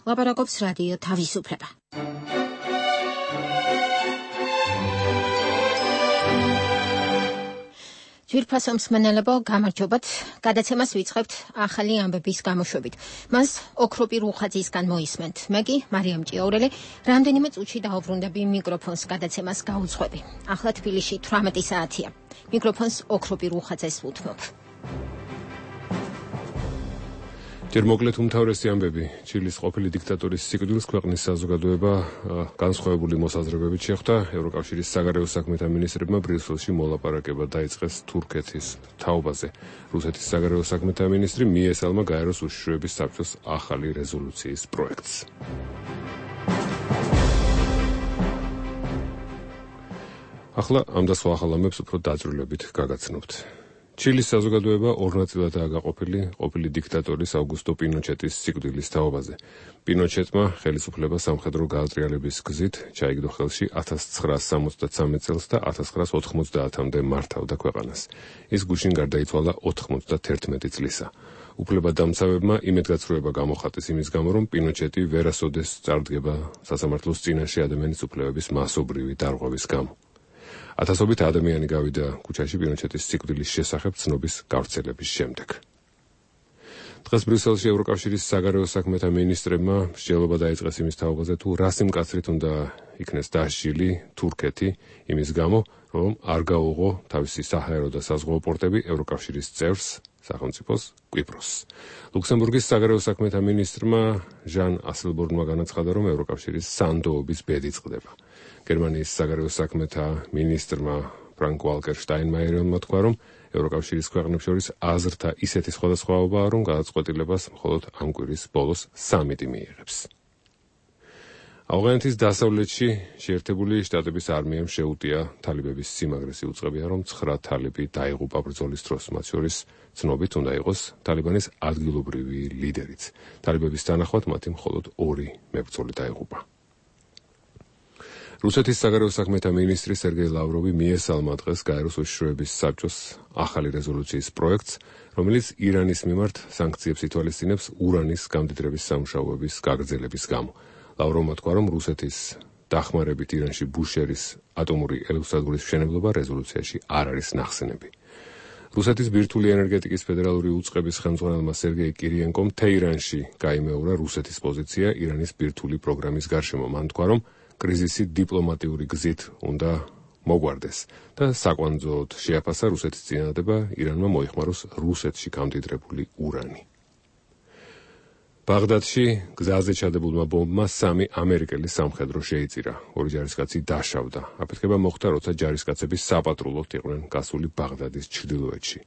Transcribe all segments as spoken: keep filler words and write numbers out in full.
ლაპარაკობს რადიო თავისუფლება. ძვირფასო მსმენელებო, გამარჯობათ. გადაცემას ვიწყებთ ახალი ამბების გამოშვებით. მას ოქროპი რუხაძისგან მოისმენთ. მე კი მარიამ ჭიაურელი რამდენიმე წუთში დაუბრუნდები მიკროფონს გადაცემას გაუძღვები. ახლა თბილისში თვრამეტი საათია. მიკროფონს ოქროპი რუხაძეს ვუთმობ. ჯერ მოკლედ უმთავრესი ამბები. ჩილის ყოფილი დიქტატორის სიკვდილს ქვეყნის საზოგადოება განსხვავებული მოსაზრებებით შეხვდა. ევროკავშირის საგარეო საქმეთა მინისტრებმა ბრიუსელში მოლაპარაკება დაიწყეს თურქეთის თაობაზე. რუსეთის საგარეო საქმეთა მინისტრი მიესალმა გაეროს უშიშროების საბჭოს ახალი რეზოლუციის პროექტს. ახლა ამ და სხვა ახალ ამბებს უფრო დაწვრილებით გაგაცნობთ. ჩილის საზოგადოება ორ ნაწილადაა გაყოფილი ყოფილი დიქტატორის აუგუსტო პინოჩეტის სიკვდილის თაობაზე. პინოჩეტმა ხელისუფლება სამხედრო გაატრიალების გზით ჩაიგდო ხელში ათას ცხრაას სამოცდათსამეტ წელს და ათას ცხრაას ოთხმოცდაათამდე მართავდა ქვეყანას. ის გუშინ გარდაიცვალა ოთხმოცდათერთმეტი წლისა. უფლებადამცავებმა იმედგაცრუება გამოხატეს იმის გამო, რომ პინოჩეტი ვერასოდეს წარდგება სასამართლოს წინაშე ადამიანის უფლებების მასობრივი დარღვევის გამო. ათასობით ადამიანი გავიდა ქუჩაში პინოჩეტის სიკვდილის შესახებ ცნობის გავრცელების შემდეგ. დღეს ბრიუსელში ევროკავშირის საგარეო საქმეთა მინისტრებმა მსჯელობა დაიწყეს იმის თაობაზე, თუ რა სიმკაცრით უნდა იქნეს დასჯილი თურქეთი იმის გამო, რომ არ გაუღო თავისი საჰაერო და საზღვაო პორტები ევროკავშირის წევრს სახელმწიფოს კვიპროსს. ლუქსემბურგის საგარეო საქმეთა მინისტრმა ჟან ასელბორნმა განაცხადა, რომ ევროკავშირის სანდოობის ბედი წყდება. გერმანიის საგარეო საქმეთა მინისტრმა ფრანკ ვალკერ შტაინმაიერმა თქვა, რომ ევროკავშირის ქვეყნებს შორის აზრთა ისეთი სხვადასხვაობაა, რომ გადაწყვეტილებას მხოლოდ ამ კვირის ბოლოს სამიტი მიიღებს. ავღანეთის დასავლეთში შეერთებული შტატების არმიამ შეუტია თალიბების სიმაგრეს. იუწყებია, რომ ცხრა თალიბი დაიღუპა ბრძოლის დროს, მათ შორის ცნობით უნდა იყოს თალიბანის ადგილობრივი ლიდერიც. თალიბების თანახმად მათი მხოლოდ ორი მებრძოლი დაიღუპა. რუსეთის საგარეო საქმეთა მინისტრი სერგეი ლავროვი მიესალმა დღეს გაეროს უშიშროების საბჭოს ახალი რეზოლუციის პროექტს, რომელიც ირანის მიმართ სანქციებს ითვალისწინებს ურანის გამდიდრების სამუშაოების გაგრძელების გამო. ლავროვმა თქვა, რომ რუსეთის დახმარებით ირანში ბუშერის ატომური ელექტროსადგურის მშენებლობა რეზოლუციაში არ არის ნახსენები. რუსეთის ბირთვული ენერგეტიკის ფედერალური უწყების ხელმძღვანელმა სერგეი კირიენკომ თეირანში გაიმეორა რუსეთის პოზიცია ირანის ბირთვული პროგრამის გარშემო. მან თქვა, რომ კრიზისი დიპლომატიური გზით უნდა მოგვარდეს და საკვანძოდ შეაფასა რუსეთის წინადადება ირანმა მოიხმაროს რუსეთში გამდიდრებული ურანი. ბაღდადში გზაზე ჩადებულმა ბომბმა სამი ამერიკელი სამხედრო შეიწირა. ორი ჯარისკაცი დაშავდა. აფეთქება მოხდა, როცა ჯარისკაცები საპატრულოდ იყვნენ გასული ბაღდადის ჩრდილოეთში.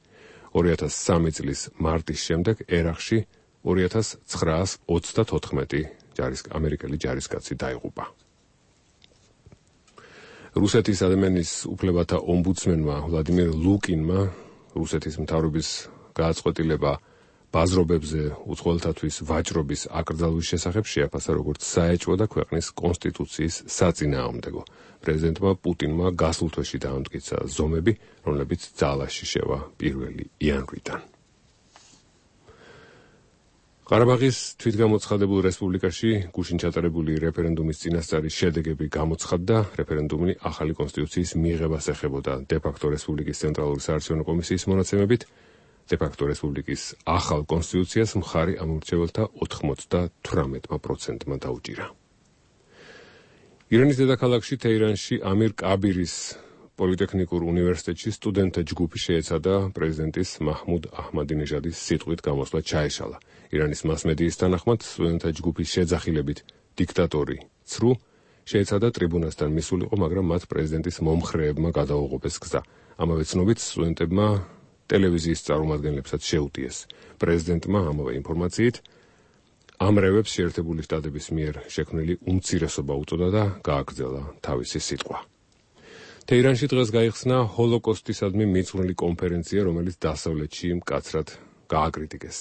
ორი ათას სამი წლის მარტის შემდეგ ერაყში ორი ათას ცხრაას ოცდათოთხმეტი ამერიკელი ჯარისკაცი დაიღუპა. რუსეთის ადამიანის უფლებათა ომბუდსმენმა ვლადიმერ ლუკინმა რუსეთის მთავრობის გააწყვეტილება ბაზრობებზე უცხოელთათვის ვაჭრობის აკრძალვის შესახებ შეაფასა როგორც საეჭვო და ქვეყნის კონსტიტუციის საწინააღმდეგო. პრეზიდენტმა პუტინმა გასულ თვეში დაამტკიცა ზომები, რომლებიც ძალაში შევა პირველი იანვრიდან. ყარაბაღის თვითგამოცხადებულ რესპუბლიკაში გუშინ ჩატარებული რეფერენდუმის წინასწარი შედეგები გამოცხადდა. რეფერენდუმი ახალი კონსტიტუციის მიღებას ეხებოდა დე-ფაქტო რესპუბლიკის ცენტრალური საარჩევნო კომისიის მონაცემებით. დე-ფაქტო რესპუბლიკის ახალ კონსტიტუციას მხარი ამომრჩეველთა ოთხმოცდათვრამეტ პროცენტმა დაუჭირა. ირანის დედაქალაქში თეირანში ამირ კაბირის პოლიტექნიკურ უნივერსიტეტში სტუდენტთა ჯგუფი შეეცადა პრეზიდენტის მაჰმუდ აჰმადინეჟადის სიტყვით გამოსვლა ჩაეშალა. ირანის მასმედიის თანახმად სტუდენტთა ჯგუფის შეძახილებით დიქტატორი ცრუ შეეცადა ტრიბუნასთან მისულიყო, მაგრამ მათ პრეზიდენტის მომხრეებმა გადაუღობეს გზა. ამავე ცნობით სტუდენტებმა ტელევიზიის წარმომადგენლებსაც შეუტიეს. პრეზიდენტმა ამავე ინფორმაციით ამ რევებს შეერთებული შტატების მიერ შექმნილი უმცირესობა უწოდა და გააგრძელა თავისი სიტყვა. თეირანში დღეს გაიხსნა ჰოლოკოსტისადმი მიწვრილი კონფერენცია, რომელიც დასავლეთში მკაცრად გააკრიტიკეს.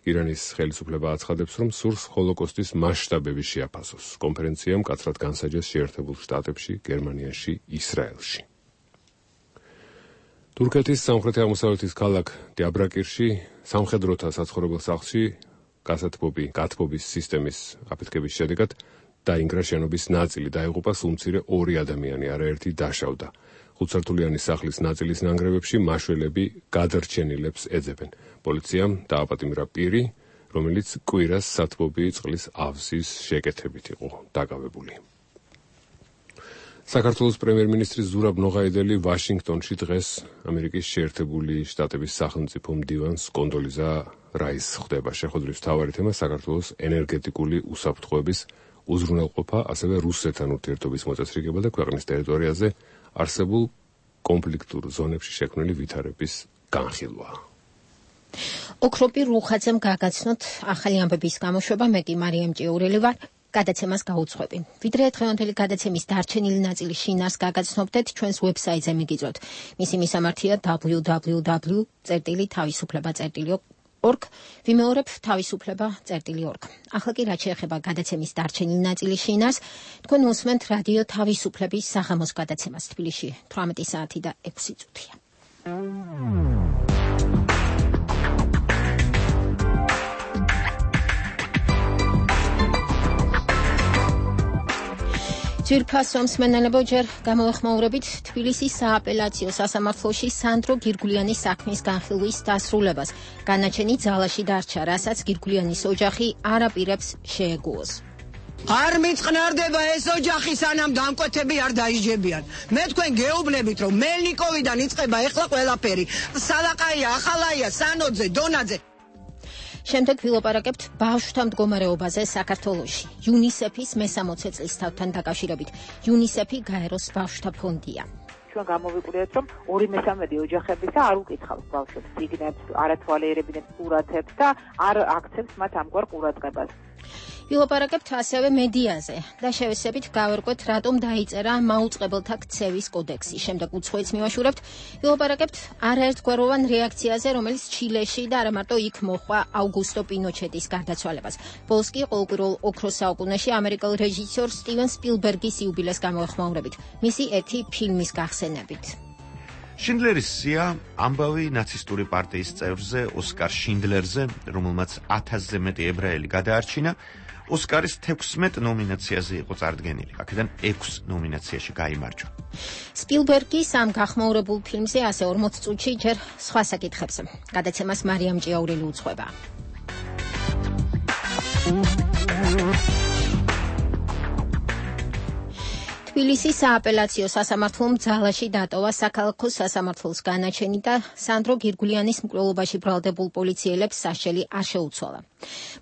ირანის ხელისუფლება აცხადებს, რომ სურს ჰოლოკოსტის მასშტაბები შეაფასოს. კონფერენცია მკაცრად განსაჯეს შეერთებულ შტატებში, გერმანიაში, ისრაელში. თურქეთის სამხრეთ-აღმოსავლეთის ქალაქ დიაბრაკირში სამხედროთა საცხოვრებელ სახლში გასათბობი, გათბობის სისტემის აფეთქების შედეგად დაინგრა შენობის ნაწილი, დაიღუპა სულ მცირე ორი ადამიანი, არაერთი დაშავდა. ხუთსართულიანი სახლის ნაწილის ნანგრევებში მაშველები გადარჩენილებს ეძებენ. პოლიციამ დააპატიმრა პირი, რომელიც კვირას სათბობი წყლის ავზის შეკეთებით იყო დაკავებული. საქართველოს პრემიერ-მინისტრი ზურაბ ნოღაიდელი ვაშინგტონში დღეს ამერიკის შეერთებული შტატების სახელმწიფო მდივანს კონდოლიზა რაისს ხვდება. შეხვედრის მთავარი თემა საქართველოს ენერგეტიკული უსაფრთხოების უზრუნველყოფა, ასევე რუსეთთან ურთიერთობის მოწესრიგება და ქვეყნის ტერიტორიაზე არსებულ კონფლიქტურ ზონებში შექმნილი ვითარების განხილვა. ოქროპირ რუხაძემ გაგაცნოთ ახალი ამბების გამოშვება, მე კი მარიამ ჭიაურელი ვარ. გადაცემას გაუძღვები. ვიდრე დღევანდელი გადაცემის დარჩენილი ნაწილი შინას გაგაცნობდეთ, ჩვენს ვებსაიტზე მიგიწვევთ. მისი მისამართია double-u double-u double-u წერტილი თავისუფლება წერტილი org, ვიმეორებ თავისუფლება წერტილი org. ახლა კი რაც შეეხება გადაცემის დარჩენილი ნაწილის შინას, თქვენ უსმენთ რადიო თავისუფლების საღამოს გადაცემას თბილისში თვრამეტი საათი და ექვსი წუთია. ძვირფასო მსმენელებო, ჯერ გამოვეხმაურებით თბილისის სააპელაციო სასამართლოში სანდრო გირგულიანის საქმის განხილვის დასრულებას. განაჩენი ძალაში დარჩა, რასაც გირგულიანის ოჯახი არ აპირებს შეეგუოს. არ მიწყნარდება ეს ოჯახი, სანამ დამკვეთები არ დაიჯებიან. მე თქვენ გეუბნებით, რომ მელნიკოვიდან იწყება ეხლა ყველაფერი. სალაყაია, ახალაია, სანოძე, დონაძე. შემდეგ ვილაპარაკებთ ბავშვთა მდგომარეობაზე საქართველოში. იუნისეფის მესამოცე წლისთავთან დაკავშირებით. იუნისეფი გაეროს ბავშვთა ფონდია. ჩვენ გამოვიყურეთ, რომ ორი მესამედი ოჯახებისა არ უკითხავს ბავშვებს სიგნებს, არ ათვალიერებინებს სურათებს და არ აქცევს მათ ამგვარ ყურადღებას. ვილაპარაკებთ ასევე მედიაზე და შევესებით გავერკვეთ, რატომ დაიწერა მაუწყებელთა ქცევის კოდექსი. შემდეგ უცხოეთს მივაშურებთ, ვილაპარაკებთ არაერთგვაროვან რეაქციაზე, რომელიც ჩილეში და არა მარტო იქ მოჰყვა აუგუსტო პინოჩეტის გარდაცვალებას. ბოლოს კი ყოველკვირეულ ოქროს საუკუნეში ამერიკელ რეჟისორ სტივენ სპილბერგის იუბილეს გამოვეხმაურებით, მისი ერთი ფილმის გახსენებით. შინდლერის სია ამბავი ნაცისტური პარტიის წევრზე, ოსკარ შინდლერზე, რომელმაც ათასზე მეტი ებრაელი გადაარჩინა, ოსკარის თექვსმეტ ნომინაციაზე იყო წარდგენილი. აქედან ექვს ნომინაციაში გაიმარჯვა. სპილბერგის ამ გახმაურებულ ფილმზე ასე ორმოც წუთში ჯერ სხვა საკითხებს. გადაცემას მარიამ ჭიაურელი უძღვება. თბილისის სააპელაციო სასამართლომ ძალაში დატოვა საქალაქო სასამართლოს განაჩენი და სანდრო გირგულიანის მკვლელობაში ბრალდებულ პოლიციელებს სასჯელი არ შეუცვალა.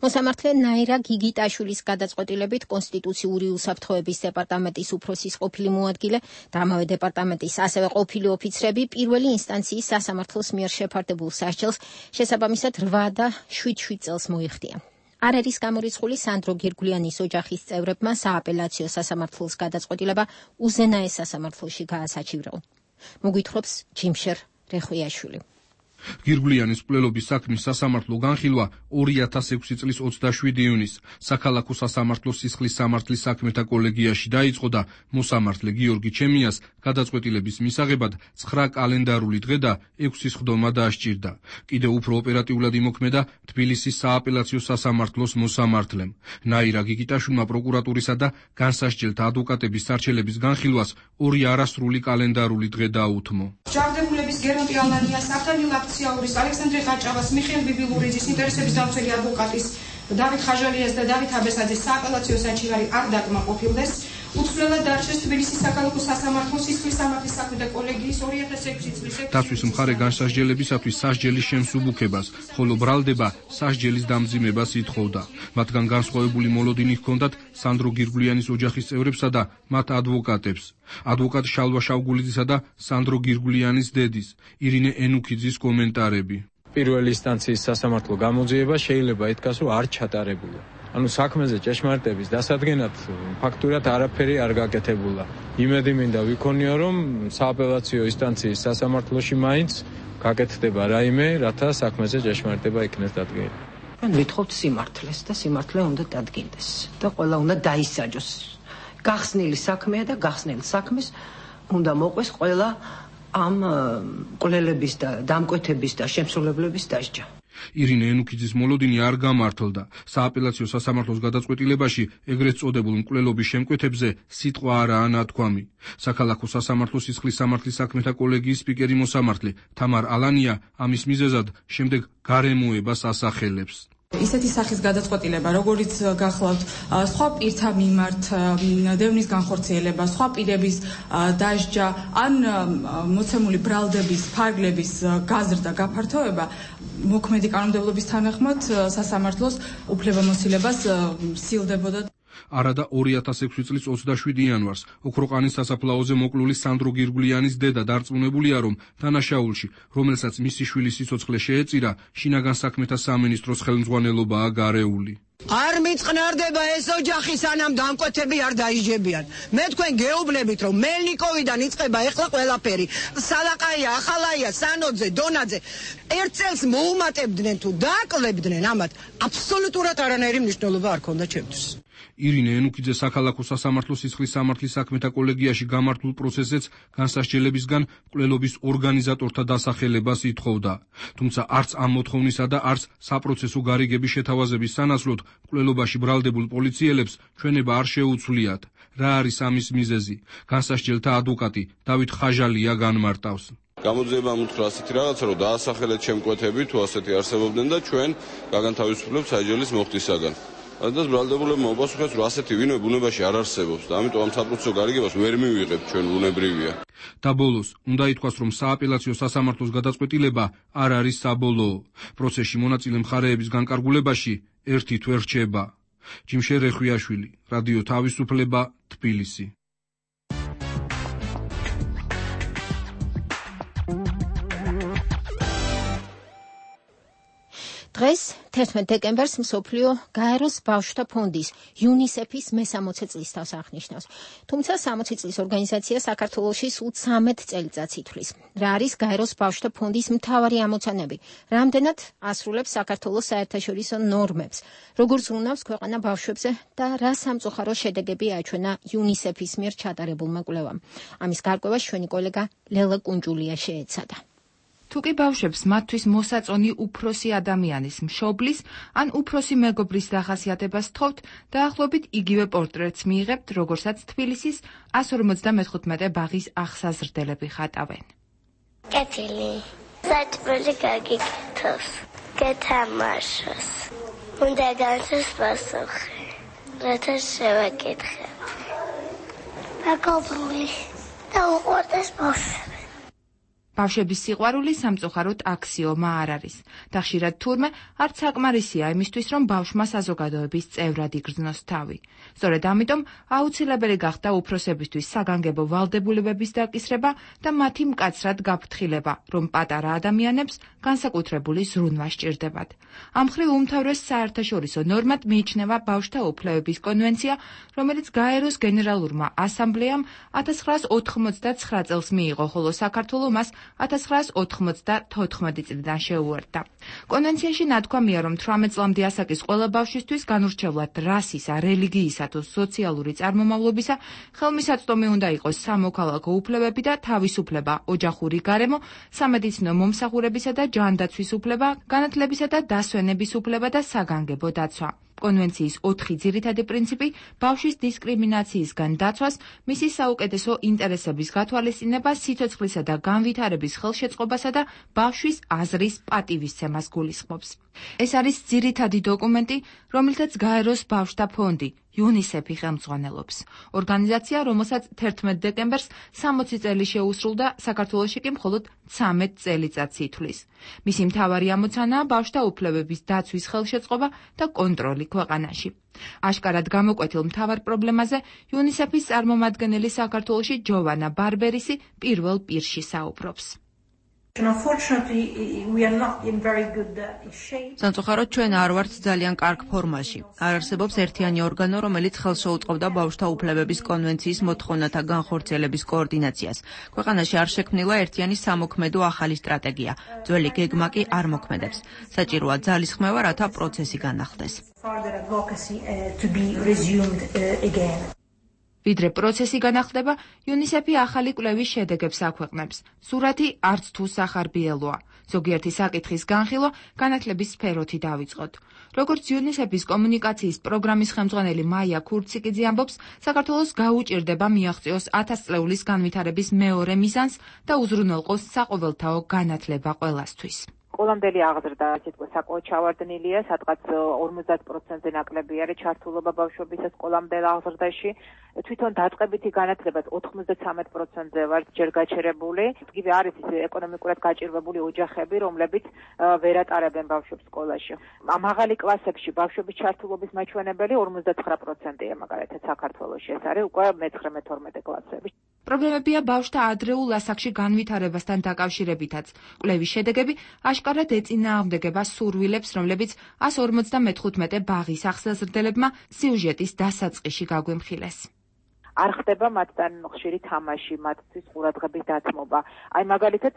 მოსამართლე ნაირა გიგიტაშვილის გადაწყვეტილებით კონსტიტუციური უსაფრთხოების დეპარტამენტის უფროსის ყოფილი მოადგილე და ამავე დეპარტამენტის ასევე ყოფილი ოფიცრები პირველი ინსტანციის სასამართლოს მიერ შეფარდებულ სასჯელს შესაბამისად რვა და შვიდ შვიდ წელს მოიხდიან. არ არის გამორიცხული სანდრო გირგულიანის ოჯახის წევრებმა სააპელაციო სასამართლოს გადაწყვეტილება უზენაეს სასამართლოში გაასაჩივრეო. მოგვითხრობს ჯიმშერ რეხვიაშვილი. გირგულიანის მკვლელობის საქმის სასამართლო განხილვა ორი ათას ექვსი წლის ოცდაშვიდი ივნისს საქალაქო სასამართლოს სისხლის სამართლის საქმეთა კოლეგიაში დაიწყო და მოსამართლე გიორგი ჩემიას გადაწყვეტილების მისაღებად ცხრა კალენდარული დღე და ექვსი სხდომა დაასჭირდა. კიდევ უფრო ოპერატიულად იმოქმედა თბილისის სააპელაციო სასამართლოს მოსამართლემ. ნაირა გიგიტაშვილმა პროკურატურისა და განსასჯელთა ადვოკატების სარჩელების განხილვას ორი არასრული კალენდარული დღე დაუთმო. ჯარდებულების გერონტი ალანიას, ნახტალი ლაფციაურის, ალექსანდრე ხაჭავას, მიხეილ ბიბილურიძის, ინტერესების დამცველი ადვოკატის, დავით ხაჟალიას და დავით აბესაძის სააპელაციო საჩივარი არ დაკმაყოფილდეს. უცვლელად დარჩეს თბილისის საქალაქო სასამართლოს სისხლის სამართლის საქმეთა კოლეგიის ორი ათას ექვსი წლის. დაცვის მხარე განსასჯელებისათვის სასჯელის შემსუბუქებას, ხოლო ბრალდება სასჯელის დამძიმებას ითხოვდა. მათგან განსხვავებული მოლოდინი ჰქონდათ სანდრო გირგულიანის ოჯახის წევრებსა და მათ ადვოკატებს. ადვოკატ შალვა შავგულიძისა და სანდრო გირგულიანის დედის, ირინე ენუქიძის კომენტარები. პირველი ინსტანციის სასამართლო გამოძიება შეიძლება ითქვას, რომ არ ჩატარებულა. ანუ საქმეზე ჭეშმარიტების დასადგენად ფაქტურად არაფერი არ გაკეთებულა. იმედი მინდა ვიქონიო, რომ სააპელაციო ინსტანციის სასამართლოში მაინც გაკეთდება რაიმე, რათა საქმეზე ჭეშმარიტება იქნეს დადგენილი. ჩვენ ვითხოვთ სიმართლეს და სიმართლე უნდა დადგინდეს და ყველა უნდა დაისაჯოს. გახსნილი საქმეა და გახსნილ საქმეს უნდა მოყვეს ყველა ამ მკვლელების და დამკვეთების და შემსრულებლების დასჯა. ირინე ენუქიძის მოლოდინი არ გამართლდა. სააპელაციო სასამართლოს გადაწყვეტილებაში ეგრეთ წოდებულ მკვლელობის შემკვეთებზე სიტყვა არაა ნათქვამი. საქალაქო სასამართლოს სისხლის სამართლის საქმეთა კოლეგიის სპიკერი მოსამართლე თამარ ალანია ამის მიზეზად შემდეგ გარემოებას ასახელებს. ისეთი სახის გადაწყვეტილება, როგორიც გახლავთ სხვა პირთა მიმართ დევნის განხორციელება, სხვა პირების დასჯა, ან მოცემული ბრალდების, ფარგლების გაზრდა, გაფართოება, მოქმედი კანონმდებლობის თანახმად სასამართლოს უფლებამოსილებას სილდებოდა. არადა ორი ათას ექვსი წლის ოცდაშვიდი იანვარს ოქროყანის სასაფლაოზე მოკლული სანდრო გირგვლიანის დედა დარწმუნებულია, რომ დანაშაულში, რომელსაც მისი შვილის სიცოცხლე შეეწირა, შინაგან საქმეთა სამინისტროს ხელმძღვანელობაა გარეული. არ მიწყნარდება ეს ოჯახი, სანამ დამკვეთები არ დაიჯებიან. მე თქვენ გეუბნებით, რომ მელნიკოვიდან იწყება ეხლა ყველაფერი. სალაყაია, ახალაია, სანოძე, დონაძე ერთ წელს მოუმატებდნენ თუ დააკლებდნენ, ამათ აბსოლუტურად არანაირი მნიშვნელობა არ ქონდა ჩემთვის. ირინე ენუქიძე საქალაქო სასამართლოს სისხლის სამართლის საქმეთა კოლეგიაში გამართულ პროცესზეც განსასჯელებისგან მკვლელობის ორგანიზატორთა დასახელებას ითხოვდა. თუმცა არც ამ მოთხოვნისა და არც საპროცესო გარიგების შეთავაზების სანაცვლოდ მკვლელობაში ბრალდებულ პოლიციელებს ჩვენება არ შეუცვლიათ. რა არის ამის მიზეზი? განსასჯელთა ადვოკატი დავით ხაჟალია განმარტავს. გამოძიება მოთხრა ასეთი რაღაცა, რომ დაასახელეთ შემკვეთები თუ ასეთი არსებობდნენ და ჩვენ გაგანთავისუფლებთ საჯელის მოხდისაგან. Addas ბრალდებულებმა მოუპასუხეს, რომ ასეთი ვინმე ბუნებაში არ არსებობს და ამიტომ ამ საპროცესო გარიგებას ვერ მივიღებთ ჩვენ ბუნებრივია. და ბოლოს უნდა ითქვას, რომ სააპელაციო სასამართლოს გადაწყვეტილება არ არის საბოლოო. პროცესში მონაწილე მხარეების განკარგულებაში ერთით ვერ რჩება. ჯიმშე რეხვიაშვილი, რადიო თავისუფლება, თბილისი. დღეს თერთმეტ დეკემბერს მსოფლიო გაეროს ბავშვთა ფონდის იუნისეფის მესამოცე წლისთავს აღნიშნავს. თუმცა სამოცი წლის ორგანიზაცია საქართველოში სულ ცამეტ წელიწადს ითვლის. რა არის გაეროს ბავშვთა ფონდის მთავარი ამოცანები? რამდენად ასრულებს საქართველოს საერთაშორისო ნორმებს? როგორ ზრუნავს ქვეყანა ბავშვებზე და რა სამწუხარო შედეგები აჩვენა იუნისეფის მიერ ჩატარებულმა კვლევამ? ამის გარკვევას ჩვენი კოლეგა ლელა კუნჯულია შეეცადა. თუკი ბავშვებს მათთვის მოსაწონი უფროსი ადამიანის მშობლის ან უფროსი მეგობრის დახასიათებას თხოვთ, დაახლოებით იგივე პორტრეტს მიიღებთ, როგორცაც თბილისის εκατს ორმოცდამეხუთმეტე ბაღის აღსაზრდელები ხატავენ. კეთილი, საჭმელი გაგიკეთოს, გეთამაშოს, უნდა განცეს პასუხი, რათა შევაკითხებ. მეგობრული, და უყვარდეს ბავშვები. ბავშვების სიყვარული სამწუხაროდ აქსიომა არ არის და ხშირად თურმე არც საკმარისია იმისთვის, რომ ბავშვმა საზოგადოების წევრად იგრძნოს თავი. სწორედ ამიტომ აუცილებელი გახდა უფროსებისთვის საგანგებო ვალდებულებების დაკისრება და მათი მკაცრად გაფრთხილება, რომ პატარა ადამიანებს განსაკუთრებული ზრუნვა სჭირდებათ. ამ მხრივ უმთავრეს საერთაშორისო ნორმად მიიჩნევა ბავშვთა უფლებების კონვენცია, რომელიც გაეროს გენერალურმა ასამბლეამ ათას ცხრაას ოთხმოცდაცხრა წელს მიიღო, ხოლო საქართველო მას ათას ცხრაას ოთხმოცდათოთხმეტი წლიდან შეუერთდა. კონვენციაში ნათქვამია, რომ თვრამეტ წლამდე ასაკის ყველა ბავშვისთვის განურჩევლად რასისა, რელიგიისა თუ სოციალური წარმომავლობისა ხელმისაწვდომი უნდა იყოს სამოქალაქო უფლებები და თავისუფლება, ოჯახური გარემო, სამედიცინო მომსახურებისა და ჯანდაცვის უფლება, განათლებისა და დასვენების უფლება და საგანგებო დაცვა. კონვენციის ოთხი ძირითადი პრინციპი ბავშვის დისკრიმინაციისგან დაცვას, მისი საუკეთესო ინტერესების გათვალისწინებას, სიცოცხლისა და განვითარების ხელშეწყობასა და ბავშვის აზრის პატივისცემას გულისხმობს. ეს არის ძირითადი დოკუმენტი, რომელთაც გაეროს ბავშვთა ფონდი იუნისეფი ხელმძღვანელობს. ორგანიზაცია, რომელსაც თერთმეტ დეკემბერს სამოცი წელი შეუსრულდა, საქართველოში კი მხოლოდ ცამეტ წელიწადს ითვლის. მისი მთავარი ამოცანაა ბავშვთა უფლებების დაცვის ხელშეწყობა და კონტროლი ქვეყანაში. აშკარად გამოკვეთილ მთავარ პრობლემაზე იუნისეფის წარმომადგენელი საქართველოში ჯოვანა ბარბერისი პირველ პირში საუბრობს. სამწუხაროდ ჩვენ არ ვართ ძალიან კარგ ფორმაში. არ არსებობს ერთიანი ორგანო, რომელიც ხელს შეუწყობდა ბავშვთა უფლებების კონვენციის მოთხოვნათა განხორციელების კოორდინაციას. ქვეყანაში არ შექმნილა ერთიანი სამოქმედო ახალი სტრატეგია. ძველი გეგმა კი არ მოქმედებს. საჭიროა ძალისხმევა, რათა პროცესი განახლდეს. ვიდრე პროცესი განახლდება, იუნისეფი ახალი კვლევის შედეგებს აქვეყნებს. სურათი არც თუ სახარბიელოა. ზოგიერთი საკითხის განხილვა განათლების სფეროთი დავიწყოთ. როგორც იუნისეფის კომუნიკაციის პროგრამის ხელმძღვანელი მაია ქურციკიძე ამბობს, საქართველოს გაუჭირდება მიაღწიოს ათასწლეულის განვითარების მეორე მიზანს და უზრუნველყოს საყოველთაო განათლება ყველასთვის. Ყოლამდელი აღზრდა სიტყვა საკმაოდ ჩავარდნილია, სადღაც ორმოცდაათ პროცენტზე ნაკლები არის ჩართულობა ბავშვებისა სკოლამდელ აღზრდაში. თვითონ დაწყებითი განათლებაც ოთხმოცდათრამეტ პროცენტზე ვარ ჯერ გაჩერებული. იგივე არის ის ეკონომიკურად გაჭირვებული ოჯახები, რომლებიც ვერ ატარებენ ბავშვებს სკოლაში. მაღალი კლასებში ბავშვების ჩართულობის მაჩვენებელი ორმოცდათხრა პროცენტია, მაგალითად საქართველოში ეს არის უკვე მეცხრე მეთორმეტე კლასები. პრობლემებია ბავშვთა ადრეულ ასაკში განვითარებასთან დაკავშირებითაც. კვლევის შედეგები აშკარად ეწინააღმდეგება სურვილებს, რომლებიც ას ორმოცდამეხუთმეტე ბაღის ახსაზრდელებმა სიუჟეტის დასაწყისში გაგვიმხილეს. არ ხდება მათთან ხშირი თამაში, მათთვის ყურადღების დათმობა. აი მაგალითად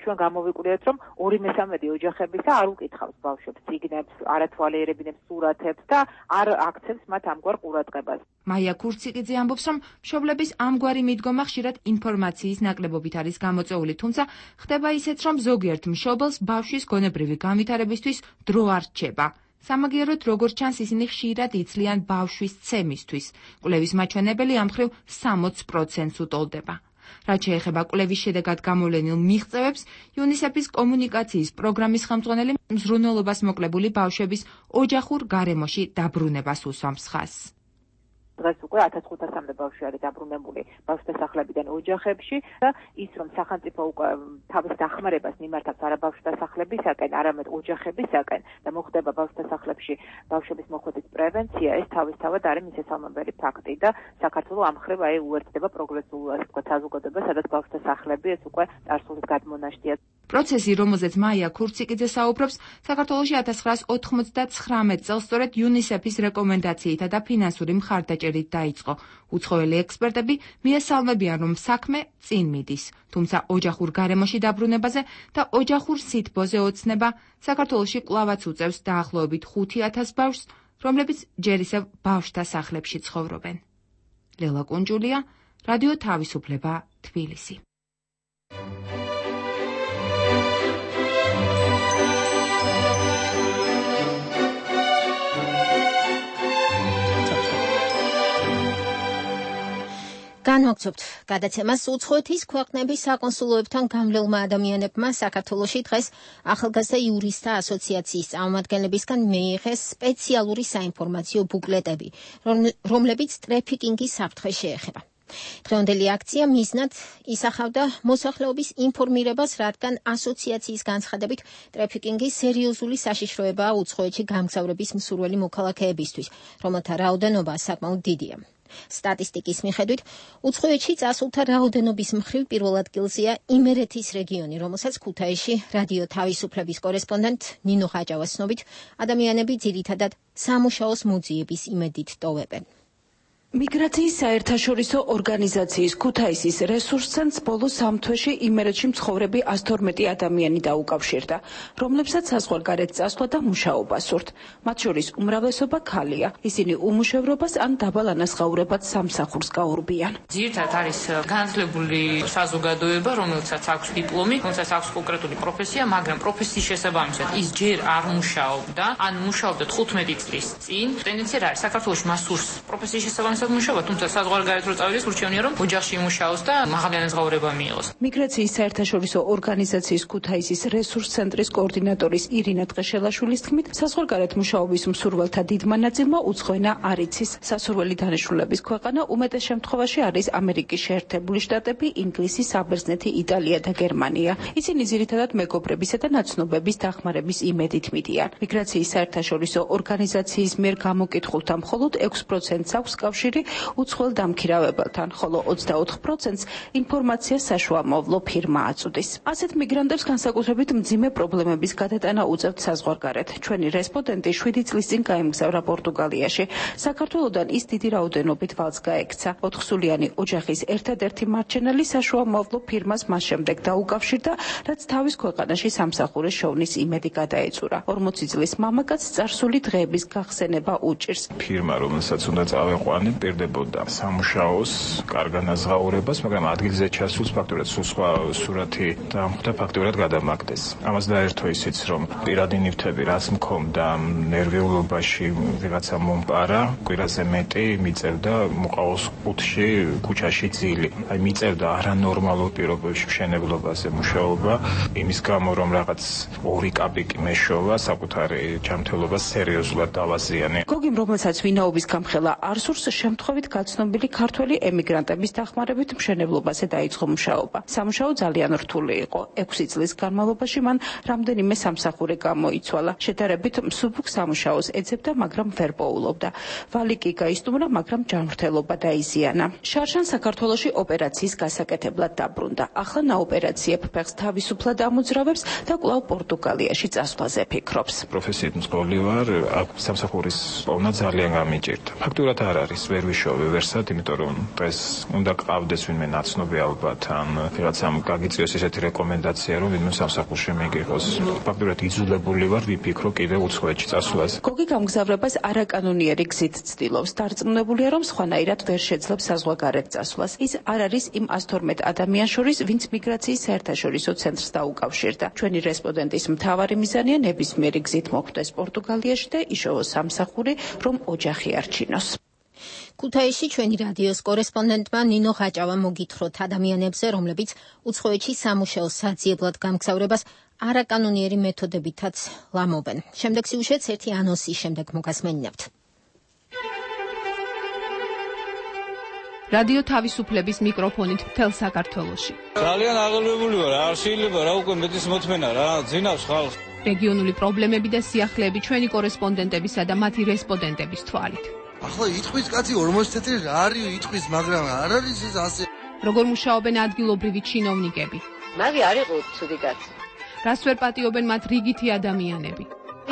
ჩვენ გამოვიკვლიეთ, რომ ორი მესამედი ოჯახებისა არ უკითხავს ბავშვებს წიგნებს, არ ათვალიერებინებს სურათებს და არ აქცევს მათ ამგვარ ყურადღებას. მაია ქურციკიძე ამბობს, რომ მშობლების ამგვარი მიდგომა ხშირად ინფორმაციის ნაკლებობით არის გამოწვეული, თუმცა ხდება ისეც, რომ ზოგიერთ მშობელს ბავშვის გონებრივი განვითარებისთვის დრო არ რჩება. სამაგიეროდ, როგორც ჩანს, ისინი ხშირად იცლიან ბავშვის ცემისთვის. კვლევის მაჩვენებელი ამ მხრივ სამოცდ პროცენტს უტოლდება. რაც შეეხება კვლევის შედეგად გამოვლენილ მიღწევებს, იუნისეფის კომუნიკაციის პროგრამის ხელმძღვანელი მზრუნველობას მოკლებული ბავშვების ოჯახურ გარემოში დაბრუნებას უსვამს ხაზს. დღეს უკვე ათას ხუთასამდე ბავშვი არის დაბრუნებული ბავშვთა სახლებიდან ოჯახებში და ის რომ სახელმწიფო უკვე თავის დახმარებას მიმართავს არა ბავშვთა სახლებისაკენ, არამედ ოჯახებისაკენ და მოხდება ბავშვთა სახლებში ბავშვების მოხვედრის პრევენცია, ეს თავისთავად არის მისასალმებელი ფაქტი და საქართველოს ამ მხრივ აი უერთდება პროგრესულ ასე ვთქვათ საზოგადოებას, სადაც ბავშვთა სახლები ეს უკვე წარსულის გადმონაშთია. პროცესი, რომელზეც მაია ქურციკიძე საუბრობს, საქართველოში ათას ცხრაას ოთხმოცდათხრამეტ წელს სწორედ იუნისეფის რეკომენდაციითა და ფინანსური მხარდაჭერით დაიწყო. უცხოელი ექსპერტები მიესალმებიან, რომ საქმე წინ მიდის, თუმცა ოჯახურ გარემოში დაბრუნებაზე და ოჯახურ სითბოზე ოცნება საქართველოში კვლავაც უწევს დაახლოებით ხუთი ათას ბავშვს, რომლებიც ჯერ ისევ ბავშვთა სახლებში ცხოვრობენ. ლელა კუნჯულია, რადიო თავისუფლება, თბილისი. განვაგრძობთ გადაცემას. უცხოეთის ქვეყნების საკონსულოებთან გამლელმა ადამიანებმა საქართველოში დღეს ახალგაზრდა იურისტთა ასოციაციის წარმომადგენლებისგან მიიღეს სპეციალური საინფორმაციო ბუკლეტები, რომლებიც ტრეფიკინგის საფრთხეს შეეხება. დღევანდელი აქცია მიზნად ისახავდა მოსახლეობის ინფორმირებას, რადგან ასოციაციის განცხადებით ტრეფიკინგი სერიოზული საშიშროებაა უცხოეთში გამგზავრების მსურველი მოქალაქეებისთვის, რომელთა რაოდენობა საკმაოდ დიდია. სტატისტიკის მიხედვით, უცხოეთში წასულთა რაოდენობის მხრივ პირველ ადგილზეა იმერეთის რეგიონი, რომელსაც ქუთაისში რადიო თავისუფლების კორესპონდენტ ნინო ხაჭავას ცნობით, ადამიანები ძირითადად სამუშაოს მოძიების იმედით ტოვებენ. მიგრაციის საერთაშორისო ორგანიზაციის ქუთაისის რესურს ცენტრს ბოლო სამ თვეში იმერეთში მცხოვრები ას თორმეტი ადამიანი დაუკავშირდა, რომლებსაც საზღვარგარეთ წასვლა და მუშაობა სურთ. მათ შორის უმრავლესობა ქალია. ისინი უმუშევრობას ან დაბალ ანაზღაურებად სამსახურს გაურბიან. ძირითადად არის განათლებული საზოგადოება, რომელსაც აქვს დიპლომი, რომელსაც აქვს კონკრეტული პროფესია, მაგრამ პროფესიის შესაბამისად ის ჯერ არ მუშაობდა, ან მუშაობდა თხუთმეტი წლის წინ. ტენდენცია არის საქართველოში მას სურს პროფესიის შესაბამისად მუშაობა, თუმცა საზღვარგარეთ რო წავიდეს, ურჩევნია რომ ოჯახში იმუშაოს და მაღალი ანაზღაურება მიიღოს. მიგრაციის საერთაშორისო ორგანიზაციის ქუთაისის რესურს ცენტრის კოორდინატორის ირინა ტყეშელაშვილის თქმით, საზღვარგარეთ მუშაობის მსურველთა დიდმა ნაწილმა უცხოენა არ იცის. სასურველი დანიშნულების ქვეყანა უმეტეს შემთხვევაში არის ამერიკის შეერთებული შტატები, ინგლისი, საბერძნეთი, იტალია და გერმანია. ისინი ძირითადად მეგობრებისა და ნაცნობების დახმარების იმედით მიდიან. მიგრაციის საერთაშორისო ორგანიზაციის მიერ გამოკითხულთა მხოლოდ ექვს პროცენტს აქვს კავშირი უცხოელ დამქირავებელთან, ხოლო ოცდაოთხ პროცენტს ინფორმაცია საშუამავლო ფირმა აწვდის. ასეთ მიგრანტებს განსაკუთრებით მძიმე პრობლემების გადატანა უწევთ საზღვარგარეთ. ჩვენი რესპონდენტი შვიდი წლის წინ გაემგზავრა პორტუგალიაში. საქართველოდან ის დიდი რაოდენობით ვალს გაექცა. ოთხსულიანი ოჯახის ერთადერთი მარჩენელი საშუამავლო ფირმას მას შემდეგ დაუკავშირდა, რაც თავის ქვეყანაში სამსახურის შოვნის იმედი გადაეწურა. ორმოცი წლის მამაკაცს წარსული დღეების გახსენება უჭირს. ფირმა, რომელსაც უნდა წავეყვანებ, პირდებოდა სამუშაოს კარგ განაზღაურებას, მაგრამ ადგილზე ჩასულს ფაქტურად სულ სხვა სურათი დამხვდა, ფაქტურად გადამაგდეს. ამას დაერთო ისიც, რომ პირადი ნივთები რაც მქონდა ნერვიულობაში ვიღაცა მომპარა, კვირაზე მეტი მიწევდა მოყავოს კუთხში, ქუჩაში ძილი. აი მიწევდა არანორმალურ პირობებში მშენებლობაზე მუშაობა, იმის გამო რომ რაღაც ორი კაპიკი მეშოვა, საკუთარი ჯანმრთელობა სერიოზულად დავაზიანე. გოგიმ, რომელსაც ვინაობის გამხელა არ სურს, შემთხვევით გაცნობილი ქართველი ემიგრანტების დახმარებით მშენებლობაზე დაიწყო მუშაობა. სამუშაო ძალიან რთული იყო. ექვსი წლის განმავლობაში მან რამდენიმე სამსახური გამოიცვალა. შედარებით მსუბუქ სამუშაოს ეძებდა, მაგრამ ვერ პოულობდა. ვალი კი გაისტუმრა, მაგრამ ჯანმრთელობა დაიზიანა. შარშან საქართველოში ოპერაციის გასაკეთებლად დაბრუნდა. ახლა ნაოპერაციებ ფეხს თავისუფლად ამოძრავებს და კვლავ პორტუგალიაში წასვლაზე ფიქრობს. პროფესიით მსხვილი ვარ, აქ სამსახურის პოვნა ძალიან გამიჭირდა. ფაქტურად არ არის, ვერ ვიშოვე ვერსად, იმიტომ რომ დღეს უნდა ყავდეს ვინმე ნაცნობი ალბათ, ან ვიღაცამ გაგიწიოს ესეთი რეკომენდაცია, რომ ვინმე სამსახურში მიგიღოს. ფაქტურად იძულებული ვარ ვიფიქრო კიდევ უცხოეთში წასვლაზე. გოგი გამგზავრებას არაკანონიერი გზით ცდილობს. დარწმუნებულია, რომ სხვანაირად ვერ შეძლებს საზღვარგარეთ წასვლას. ის არ არის იმ ას თორმეტ ადამიანს შორის, ვინც მიგრაციის საერთაშორისო ცენტრს დაუკავშირდა. ჩვენი რესპონდენტის მთავარი მიზანია ნებისმიერი გზით მოხვდეს პორტუგალიაში და იშოვოს სამსახური, რომ ოჯახი არჩინოს. ქუთაისში ჩვენი რადიოს კორესპონდენტმა ნინო ხაჭავამ მოგითხროთ ადამიანებზე, რომლებიც უცხოეთში სამუშაოს საძიებლად გამგზავრებას არაკანონიერი მეთოდებითაც ლამობენ. შემდეგ სიუჟეტს ერთი ანონსის შემდეგ მოგასმენინებთ. რადიო თავისუფლების მიკროფონით მთელ საქართველოში. ძალიან აღელვებული ვარ, არ შეიძლება რა უკვე მეტის მოთმენა რა, ძინავს ხალხს. რეგიონული პრობლემები და სიახლეები ჩვენი კორესპონდენტებისა და მათი რესპონდენტების თვალით. ახლა იტყვის კაცი ორმოცი წელი რა არის იტყვის, მაგრამ არ არის ეს ასე. როგორ მუშაობენ ადგილობრივი ჩინოვნიკები? მაგი არ იყო ცუდი კაცი. რას ვერ პატიობენ მათ რიგითი ადამიანები?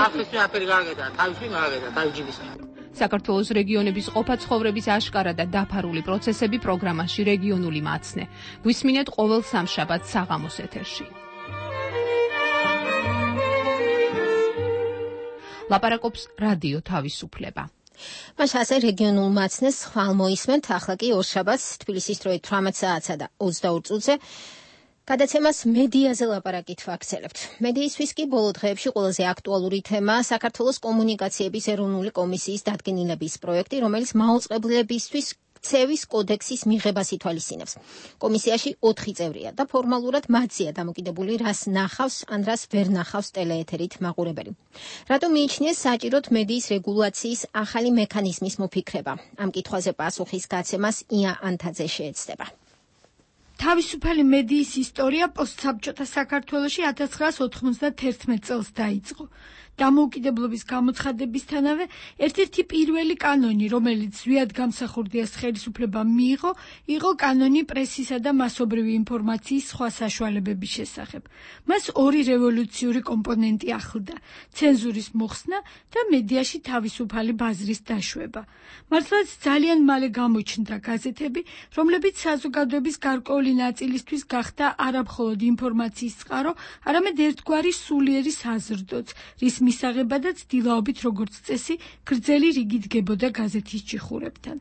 ახლის მეაფერი გააკეთა, თავისი გააკეთა, თავჯიბისა. საქართველოს რეგიონების ყოფა-ცხოვრების აშკარა და დაფარული პროცესები პროგრამაში რეგიონული მაცნე. გვისმინეთ ყოველ სამშაბათს საღამოს ეთერში. ლაპარაკობს რადიო თავისუფლება. მას ასე რეგიონულ მაცნეს ხვალ მოისმენთ, ახლა კი ორშაბათს თბილისის დროით თვრამეტ საათსა და ოცდაორ წუთზე გადაცემას მედიაზე ლაპარაკით ვაქცელებთ. მედიისთვის კი ბოლო დღეებში ყველაზე აქტუალური თემა საქართველოს კომუნიკაციების ეროვნული კომისიის დადგენილების პროექტი, რომელიც მაუწყებლებისთვის ქცევის კოდექსის მიღებას ითვალისწინებს. კომისიაში ოთხი წევრია და ფორმალურად მათზეა დამოკიდებული, რას ნახავს ან რას ვერ ნახავს ტელეეთერით მაყურებელი. რატომ მიიჩნიეს საჭიროდ მედიის რეგულაციის ახალი მექანიზმის მოფიქრება? ამ კითხვაზე პასუხის გაცემას ია ანთაძე შეეცდება. თავისუფალი მედიის ისტორია პოსტსაბჭოთა საქართველოში ათას ცხრაას ოთხმოცდათერთმეტ წელს დაიწყო. დამოუკიდებლობის გამოცხადებისთანავე ერთ-ერთი პირველი კანონი, რომელიც ზვიად გამსახურდიას ხელისუფლება მიიღო, იყო კანონი პრესისა და მასობრივი ინფორმაციის სხვა საშუალებების შესახებ. მას ორი რევოლუციური კომპონენტი ახლდა: ცენზურის მოხსნა და მედიაში თავისუფალი ბაზრის დაშვება. მართლაც ძალიან მალე გამოჩნდა გაზეთები, რომლებიც საზოგადოების გარკვეული ნაწილისთვის გახდა არა მხოლოდ ინფორმაციის წყარო, არამედ ერთგვარი სულიერი საზრდოც, რის მისაღებადაც დილაობით როგორც წესი გრძელი რიგი დგებოდა გაზეთის ჭიხურებთან.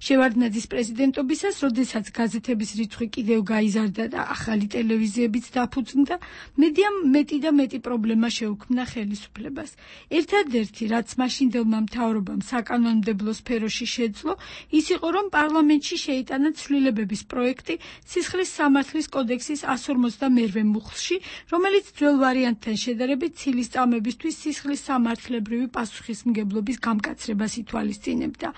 შევარდნაძის პრეზიდენტობისას, როდესაც გაზეთების რიცხვი კიდევ გაიზარდა და ახალი ტელევიზიებიც დაფუძნდა, მედიამ მეტი და მეტი პრობლემა შეუქმნა ხელისუფლებას. ერთადერთი, რაც მაშინდელმა მთავრობამ საკანონმდებლო სფეროში შეძლო, ის იყო, რომ პარლამენტში შეიტანა ცვლილებების პროექტი სისხლის სამართლის კოდექსის εκατს ორმოცდამეერთე მუხლში, რომელიც ძველ ვარიანტთან შედარებით ცილისწამებისთვის სისხლის სამართლებრივი პასუხისმგებლობის გამკაცრებას ითვალისწინებდა.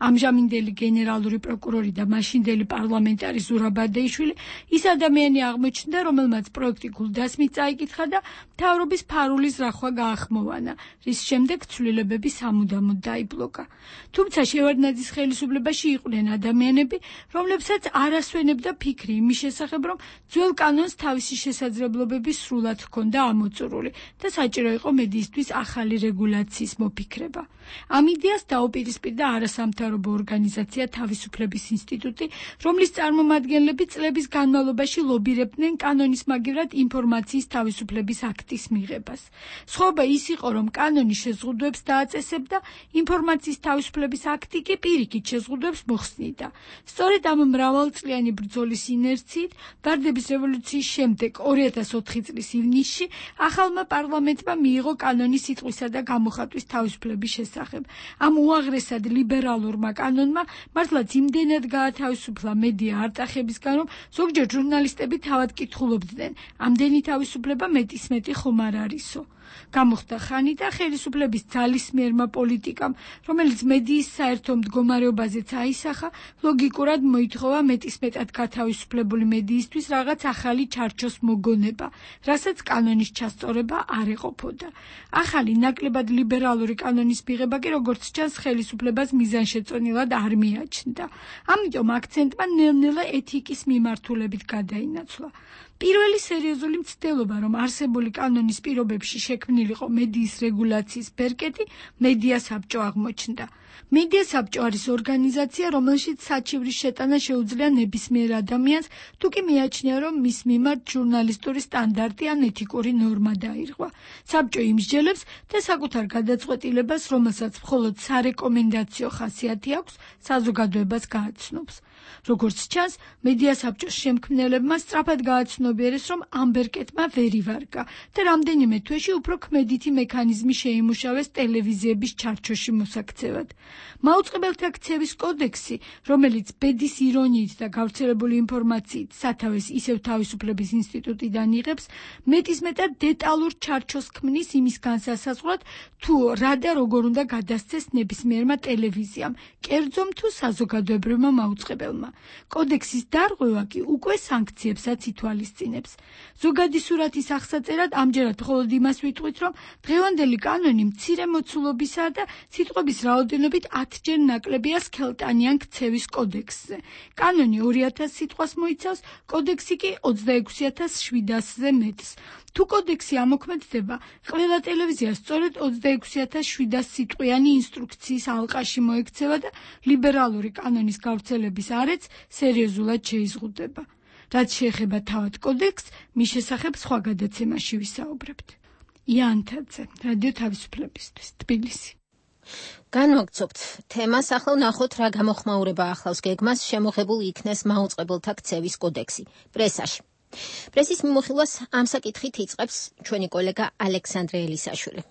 ამჟამინდელი გენერალური პროკურორი და მაშინდელი პარლამენტარი ზურაბადეიშვილი ის ადამიანი აღმოჩნდა, რომელმაც პროექტი გულდასმით წაიკითხა და მთავრობის ფარულის რახვა გაახმოვანა, რის შემდეგ ცვლილებები სამუდამოდ დაიბლოკა. თუმცა შევარდნაძის ხელისუფლებაში იყვნენ ადამიანები, რომლებსაც არ ასვენებდა ფიქრი იმის შესახებ, რომ ძველ კანონს თავისი შესაძლებლობები სრულად ჰქონდა ამოწურული და საჭირო იყო მედიისთვის ახალი რეგულაციის მოფიქრება. ამ იდეას დაუპირისპირდა არასამთავრობო ორგანიზაცია ორგანიზაცია თავისუფლების ინსტიტუტი, რომლის წარმომადგენლები წლების განმავლობაში ლობირებდნენ კანონის მაგივრად ინფორმაციის თავისუფლების აქტის მიღებას. სხვაობა ის იყო, რომ კანონი შეზღუდვებს დააწესებდა, ინფორმაციის თავისუფლების აქტი კი პირიქით შეზღუდვებს მოხსნიდა. სწორედ ამ მრავალწლიანი ბრძოლის ინერციით, ვარდების რევოლუციის შემდეგ ორი ათას ოთხი წლის ივნისში ახალმა პარლამენტმა მიიღო კანონი სიტყვისა და გამოხატვის თავისუფლების შესახებ. ამ უაღრესად ლიბერალურმა კანონმა მართლაც იმდენად გაათავისუფლა მედია არტახებისგან, რომ ზოგჯერ ჟურნალისტები თავად კითხულობდნენ, ამდენი თავისუფლება მეტისმეტი ხომ არ არისო. გამოხდა ხანი და ხელისუფლების ძალისმიერმა პოლიტიკამ, რომელიც მედიის საერთო მდგომარეობაზეც აისახა, ლოგიკურად მოითხოვა მეტისმეტად გათავისუფლებული მედიისთვის რაღაც ახალი ჩარჩოს მოგონება, რასაც კანონის ჩასწორება არ ეყოფოდა. ახალი ნაკლებად ლიბერალური კანონის მიღება კი როგორც ჩანს ხელისუფლებას მიზანშეწონილად არ მიაჩნდა. ამიტომ აქცენტმა ნელ-ნელა ეთიკის მიმართულებით გადაინაცვლა. პირველი სერიოზული მცდელობა, რომ არსებული კანონის პირობებში შექმნილიყო მედიის რეგულაციის ბერკეტი, მედია საბჭო აღმოჩნდა. მედია საბჭო არის ორგანიზაცია, რომელშიც საჩივრის შეტანა შეუძლია ნებისმიერ ადამიანს, თუ კი მიაჩნია, რომ მის მიმართ ჟურნალისტური სტანდარტი ან ეთიკური ნორმა დაირღვა. საბჭო იმსჯელებს და საკუთარ გადაწყვეტილებას, რომელსაც მხოლოდ სარეკომენდაციო ხასიათი აქვს, საზოგადოებას გააცნობს. როგორც ჩანს, მედია საბჭოს შემქმნელებმა სწრაფად გააცნობიერეს, რომ ამ ბერკეტმა ვერ ივარგა და რამდენიმე თვეში უფრო ქმედითი მექანიზმი შეიმუშავეს ტელევიზიების ჩარჩოში მოსაქცევად. მაუწყებელთა ქცევის კოდექსი, რომელიც ბედის ირონიით და გავრცელებული ინფორმაციით სათავეს ისევ თავისუფლების ინსტიტუტიდან იღებს, მეტისმეტად დეტალურ ჩარჩოს ქმნის იმის განსასაზღვრად, თუ რა და როგორ უნდა გადასცეს ნებისმიერმა ტელევიზიამ, კერძომ თუ საზოგადოებრივმა მაუწყებელმა. კოდექსის დარღვევა კი უკვე სანქციებსაც ითვალისწინებს. ზოგადი სურათის აღსაწერად ამჯერად მხოლოდ იმას ვიტყვით, რომ დღევანდელი კანონი მცირე მოცულობისაა და სიტყვების რაოდენობით ათჯერ ნაკლებია სქელტანიან ქცევის კოდექსზე. კანონი ორი ათას სიტყვას მოიცავს, კოდექსი კი ოცდაექვსი ათას შვიდასზე მეტს. თუ კოდექსი ამოქმედდება, ყველა ტელევიზია სწორედ ოცდაექვსი ათას შვიდას სიტყვიანი ინსტრუქციის ალყაში მოექცევა და ლიბერალური კანონის გავრცელების არეც სერიოზულად შეიზღუდება. რაც შეეხება თავად კოდექსს, მის შესახებ სხვა გადაცემაში ვისაუბრებთ. იანთაძე, რადიო თავისუფლებისთვის, თბილისი. განვაგრძობთ თემას, ახლა ვნახოთ რა გამოხმაურება ახლავს გეგმას შემოღებულ იქნეს მაუწყებელთა ქცევის კოდექსი პრესაში. პრესის მიმოხილვას ამ საკითხით იწყებს ჩვენი კოლეგა ალექსანდრე ელისაშვილი.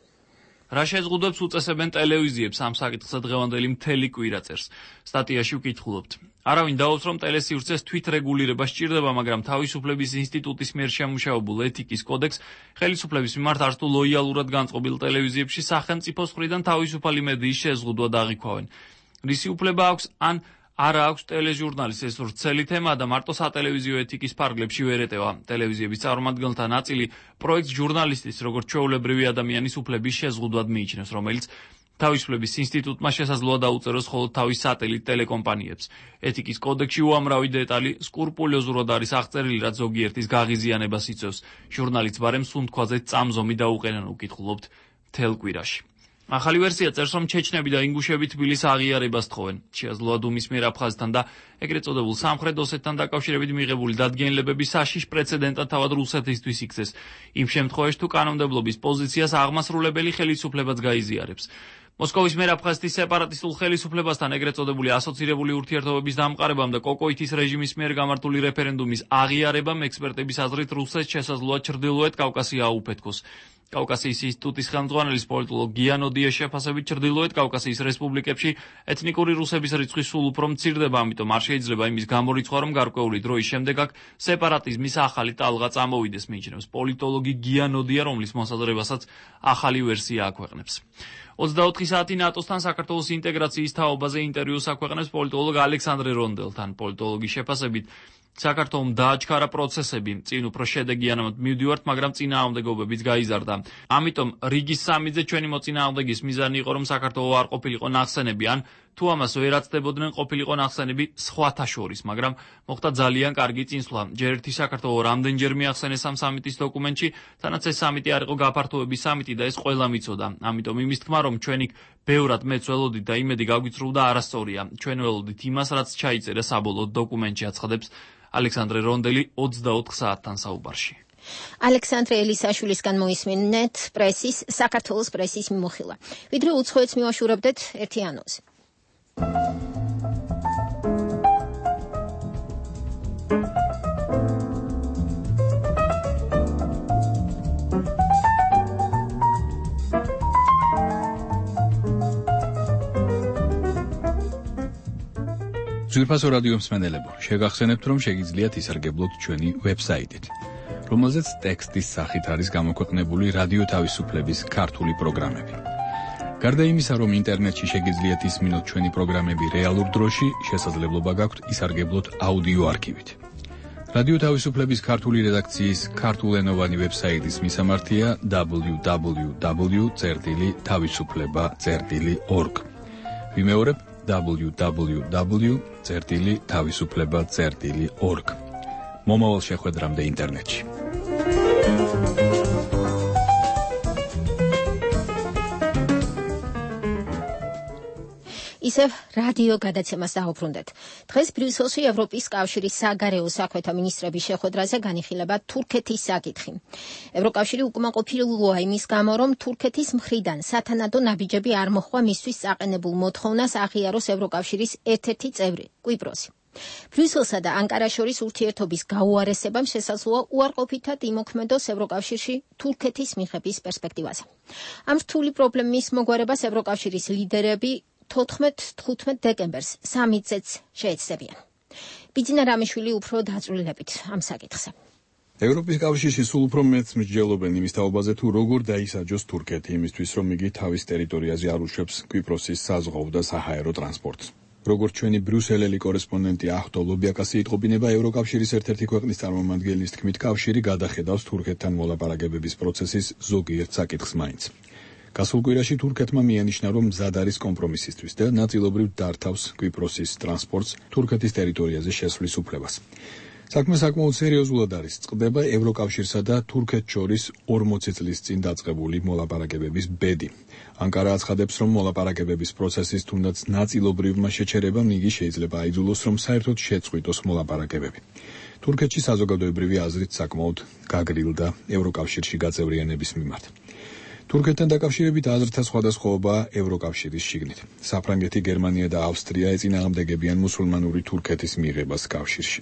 რა შეზღუდვებს უწესებენ ტელევიზიებს ამ საკითხზე დღევანდელი მთელი კვირა წერს. სტატიაში ვკითხულობთ. არავინ დაუს, რომ ტელესივრცეს თვითრეგულირება სჭირდება, მაგრამ თავისუფლების ინსტიტუტის მიერ შემუშავებულ ეთიკის კოდექს ხელისუფლების მიმართ არც თუ ლოიალურად განწყობილ ტელევიზიებში სახელმწიფოს მხრიდან თავისუფალი მედიის შეზღუდვა დააღვქვავენ. რისი უფლება აქვს ან არა აქვს ტელეჟურნალის ეს ვრცელი თემა და მარტო სატელევიზიო ეთიკის ფარგლებში ვერ ეტევა. ტელევიზიების წარმომადგენელთა ნაწილი პროექტს ჟურნალისტის, როგორც ჩვეულებრივი ადამიანის უფლების შეზღუდვად მიიჩნევს, რომელიც თავისუფლების ინსტიტუტმა შესაძლოა დაუწეროს მხოლოდ თავის სატელიტ ტელეკომპანიებს. ეთიკის კოდექსში უამრავი დეტალი სკრუპულოზურად არის აღწერილი, რაც ზოგიერთის გაღიზიანებას იწვევს. ჟურნალისტს ბარემ სუნთქვაზე წამზომი დაუყენონ, უკითხულობთ მთელ კვირაში. ახალი ვერსია წერს, რომ ჩეჩნები და ინგუშები თბილის აღიარებას თხოვენ. შეაძლოა დუმის მიერ აფხაზეთთან და ეგრეთ წოდებულ სამხრეთ ოსეთთან დაკავშირებით მიღებული დადგენილებები საშიშ პრეცედენტად თავად რუსეთისთვის იქცეს. იმ შემთხვევაში, თუ კანონმდებლობის პოზიციას აღმასრულებელი ხელისუფლებაც გაიზიარებს. მოსკოვის მიერ აფხაზეთის სეპარატისტულ ხელისუფლებასთან ეგრეთ წოდებული ასოცირებული ურთიერთობების დამყარებამ და კოკოითის რეჟიმის მიერ გამართული რეფერენდუმის აღიარებამ ექსპერტების აზრით რუსეთს შესაძლოა ჩრდილოეთ კავკასია აუფეთქოს. კავკასიის ინსტიტუტის ხელმძღვანელის პოლიტოლოგ გიანოდიეს შეფასებით ჩრდილოეთ კავკასიის რესპუბლიკებში ეთნიკური რუსების რიცხვი სულ უფრო მცირდება, ამიტომ არ შეიძლება იმის გამორიცხვა, რომ გარკვეული დროის შემდეგ აქ სეპარატიზმის ახალი ტალღა წამოვიდეს, მიიჩნევს პოლიტოლოგი გიანოდია, რომლის მოსაზრებასაც ახალი ვერსია აქვეყნებს. ოცდაოთხი საათი ნატოსთან საქართველოს ინტეგრაციის თაობაზე ინტერვიუს აქვეყნებს პოლიტოლოგ ალექსანდრე რონდელთან. პოლიტოლოგის შეფასებით საქართველომ დააჩქარა პროცესები, წინ უფრო შედეგიანად მივდივართ, მაგრამ წინააღმდეგობებიც გაიზარდა. ამიტომ რიგის სამიძე ჩვენი მოწინააღმდეგის მიზანი იყო, რომ საქართველო არ ყოფილიყო ნახსენები, ან თუ ამას ვერ აცდებოდნენ, ყოფილიყო ნახსენები სხვათა შორის, მაგრამ მოხდა ძალიან კარგი წინსვლა. ჯერ ერთი საქართველო რამდენჯერ მიახსენეს ამ სამიტის დოკუმენტში, თანაც ეს სამიტი არ იყო გაფართოების სამიტი და ეს ყველამ იცოდა. ამიტომ იმის თქმა, რომ ჩვენ იქ ბევრად მეც ველოდით და იმედი გაგვიწრუდა არასწორია. ჩვენ ველოდით იმას, რაც ჩაიწერა საბოლოო დოკუმენტში, აცხადებს ალექსანდრე რონდელი ოცდაოთხ საათთან საუბარში. ალექსანდრე ელისაშვილისგან მოისმინეთ პრესის, საქართველოს პრესის მიმოხილვა. ვიდრე უცხოეთს მივაშურებდეთ ერთი ანონსი. ძვირფასო რადიო მსმენელებო, შეგახსენებთ, რომ შეგიძლიათ ისარგებლოთ ჩვენი ვებსაიტით, რომელზეც ტექსტის სახით არის გამოქვეყნებული რადიო თავისუფლების ქართული პროგრამები. გარდა იმისა, რომ ინტერნეტში შეგიძლიათ ისმინოთ ჩვენი პროგრამები რეალურ დროში, შესაძლებლობა გაქვთ ისარგებლოთ აუდიო არქივით. რადიო თავისუფლების ქართული რედაქციის ქართულენოვანი ვებსაიტის მისამართია დაბლიუ დაბლიუ დაბლიუ წერტილი თავისუფლება წერტილი ორგ. ვიმეორებ დაბლიუ დაბლიუ დაბლიუ წერტილი თავისუფლება წერტილი ორგ. მომავალ შეხვედრამდე ინტერნეტში. ისევ რადიო გადაცემას დავუბრუნდეთ. დღეს ბრიუსელში ევროპის კავშირის საგარეო საქმეთა მინისტრების შეხვედრაზე განიხილება თურქეთის საკითხი. ევროკავშირი უკმაყოფილოა იმის გამო, რომ თურქეთის მხრიდან სათანადო ნაბიჯები არ მოხდა მისთვის საყენებულ მოთხოვნას აღიაროს ევროკავშირის ერთ-ერთი წევრი, კვიპროსი. ბრიუსელსა და ანკარას შორის ურთიერთობის გაუარესებამ შესაძლოა უარყოფითად იმოქმედოს ევროკავშირში თურქეთის მიღების პერსპექტივაზე. ამ რთული პრობლემის მოგვარებას ევროკავშირის ლიდერები თოთხმეტ-თხუთმეტ დეკემბერს სამიტზეც შეეცდებიან. ბიძინა რამიშვილი უფრო დაწვრილებით ამ საკითხზე. ევროპის კავშირში სულ უფრო მეც მსჯელობენ იმის თაობაზე, თუ როგორ დაისაჯოს თურქეთი იმისთვის, რომ იგი თავის ტერიტორიაზე არ უშვებს კვიპროსის საზღვაო და საჰაერო ტრანსპორტს. როგორც ჩვენი ბრიუსელელი კორესპონდენტი ახტო ლობიაკასი იტყობინება, ევროკავშირის ერთ-ერთი ქვეყნის წარმომადგენლის თქმით, კავშირი გადახედავს თურქეთთან მოლაპარაკებების პროცესის ზოგიერთ საკითხს მაინც. გასულ კვირაში თურქეთმა მიანიშნა, რომ მზად არის კომპრომისისთვის და ნაწილობრივ დართავს კვიპროსის ტრანსპორტს თურქეთის ტერიტორიაზე შესვლის უფლებას. საქმე საკმაოდ სერიოზულად არის. წყდება ევროკავშირსა და თურქეთს შორის ორმოცი წლის წინ დაწყებული მოლაპარაკებების ბედი. ანკარა აცხადებს, რომ მოლაპარაკებების პროცესის თუნდაც ნაწილობრივმა შეჩერებამ იგი შეიძლება აიძულოს, რომ საერთოდ შეწყვიტოს მოლაპარაკებები. თურქეთში საზოგადოებრივი აზრით საკმაოდ გაგრილდა ევროკავშირში გაწევრიანების მიმართ. თურქეთთან დაკავშირებით აზრთა სხვადასხვაობაა ევროკავშირის შიგნით. საფრანგეთი, გერმანია და ავსტრია ეწინააღმდეგებიან მუსულმანური თურქეთის მიღებას კავშირში.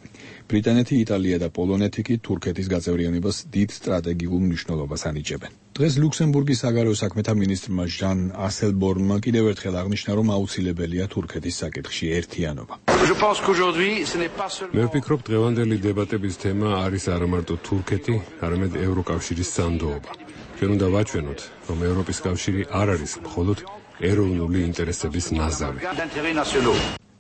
ბრიტანეთი, იტალია და პოლონეთი კი თურქეთის გაწევრიანებას დიდ სტრატეგიულ მნიშვნელობას ანიჭებენ. დღეს ლუქსემბურგის საგარეო საქმეთა მინისტრმა ჟან ასელბორნმა კიდევ ერთხელ აღნიშნა, რომ აუცილებელია თურქეთის საკითხში ერთიანობა. მე ვფიქრობ, დღევანდელი დებატების თემა არის არა მარტო თურქეთი, არამედ ევროკავშირის სანდოობა. ჩვენ უნდა ვაჩვენოთ, რომ ევროპის კავშირი არ არის მხოლოდ ეროვნული ინტერესების ნაზავი.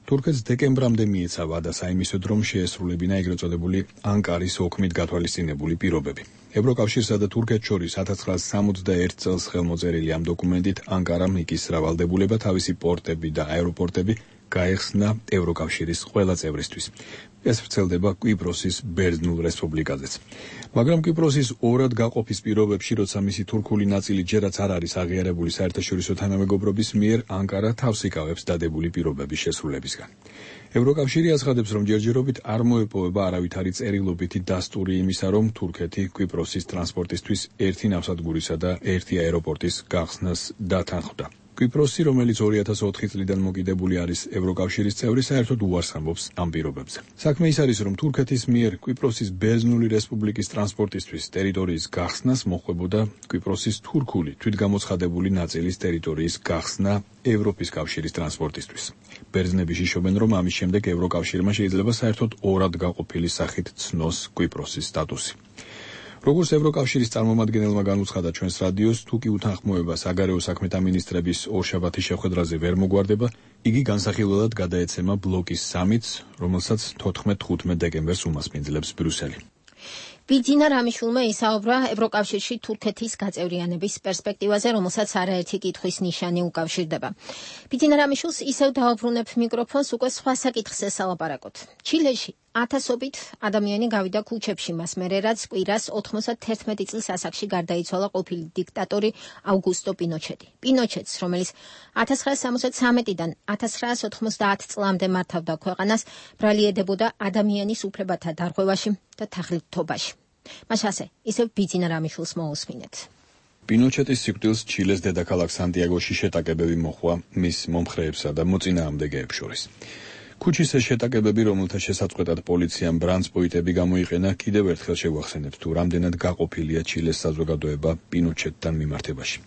თურქეთს დეკემბრამდე მიეცა ვადა საიმისოდ, რომ შეესრულებინა ეგრეთ წოდებული ანკარის ოქმით გათვალისწინებული პირობები. ევროკავშირსა და თურქეთს შორის ათას ცხრაასი სამოცდაერთი წელს ხელმოწერილი ამ დოკუმენტით ანკარამ იკისრა ვალდებულება თავისი პორტები და აეროპორტები გაეხსნა ევროკავშირის ყველა წევრისთვის. ეს ვრცელდება კვიპროსის ბერძნულ რესპუბლიკაზეც. მაგრამ კვიპროსის ორად გაყოფის პირობებში, როცა მისი თურქული ნაწილი ჯერაც არ არის აღიარებული საერთაშორისო თანამეგობრობის მიერ, ანკარა თავს იკავებს დადებული პირობების შესრულებისგან. ევროკავშირი აცხადებს, რომ ჯერჯერობით არ მოეპოვება არავითარი წერილობითი დასტური იმისა, რომ თურქეთი კვიპროსის ტრანსპორტისთვის ერთი ნავსადგურისა და ერთი აეროპორტის გახსნას დათანხმდა. კვიპროსი, რომელიც ორი ათას ოთხი წლიდან მოკიდებული არის ევროკავშირის წევრი, საერთოდ უარს ამბობს ამ პირობებზე. საქმე ის არის, რომ თურქეთის მიერ კვიპროსის ბერძნული რესპუბლიკის ტრანსპორტისთვის ტერიტორიის გახსნას მოხდებოდა კვიპროსის თურქული თვითგამოცხადებული ნაწილის ტერიტორიის გახსნა ევროპის კავშირის ტრანსპორტისთვის. ბერძნები შიშობენ, რომ ამის შემდეგ ევროკავშირმა შეიძლება საერთოდ ორად გაყოფილი სახით ცნოს კვიპროსის სტატუსი. როგორც ევროკავშირის წარმომადგენელმა განუცხადა ჩვენს რადიოს, თუ კი უთანხმოება საგარეო საქმეთა მინისტრების ორშაბათის შეხვედრაზე ვერ მოგვარდება, იგი განსახილველად გადაეცემა ბლოკის სამიტს, რომელსაც თოთხმეტ-თხუთმეტ დეკემბერს უმასპინძლებს ბრიუსელი. ბიძინა რამიშულმა ისაუბრა ევროკავშირში თურქეთის გაწევრიანების პერსპექტივაზე, რომელსაც არაერთი კითხვის ნიშანი უკავშირდება. ბიძინა რამიშულს ისევ დაუბრუნებ მიკროფონს, უკვე სხვა საკითხზე სალაპარაკოთ. ჩილეში ათასობით ადამიანი გავიდა ქუჩებში მას მერე, რაც კვირას ოთხმოცდათერთმეტი წლის ასაკში გარდაიცვალა ყოფილი დიქტატორი აუგუსტო პინოჩეტი. პინოჩეტს, რომელიც ათას ცხრაას სამოცდათრამეტიდან ათას ცხრაას ოთხმოცდაათ წლამდე მართავდა ქვეყანას, ბრალი ედებოდა ადამიანის უფლებათა დარღვევაში და თაღლითობაში. მას ასე, ისევ ბიძინა რამიშულს მოусმინეთ. პინოჩეტის სიკვდილს ჩილეს დედაქალაქ სანტიაგოში შეტაკებები მოჰყვა მის მომხრეებსა და მოწინააღმდეგეებს შორის. ქუჩის ეს შეტაკებები, რომელთა შესაწყვეტად პოლიციამ ბრანსპოიტები გამოიყენა, კიდევ ერთხელ შევახსენებთ, თუ რამდენად გაყოფილია ჩილეს საზოგადოება პინოჩეტთან მიმართებაში.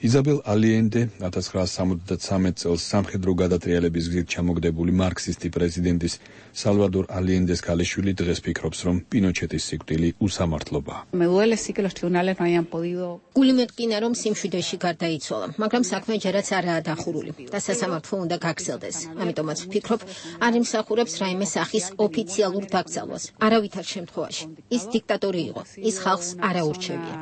იზაბელ ალიენდე ათას ცხრაას სამოცდათრამეტ წელს სამხედრო გადატრიალების გზით ჩამოგდებული მარქსისტი პრეზიდენტის სალვადორ ალიენდეს ქალიშვილი დღეს ფიქრობს, რომ პინოჩეტის სიკვდილი უსამართლობაა. გული მეტკინა, რომ სიმშვიდეში გარდაიცვალა, მაგრამ საქმე ჯერაც არაა დახურული და სასამართლო უნდა გაგრძელდეს. ამიტომაც ვფიქრობ, არ იმსახურებს რაიმე სახის ოფიციალურ დაკრძალვას. არავითარ შემთხვევაში. ის დიქტატორი იყო, ის ხალხს არ აურჩევია.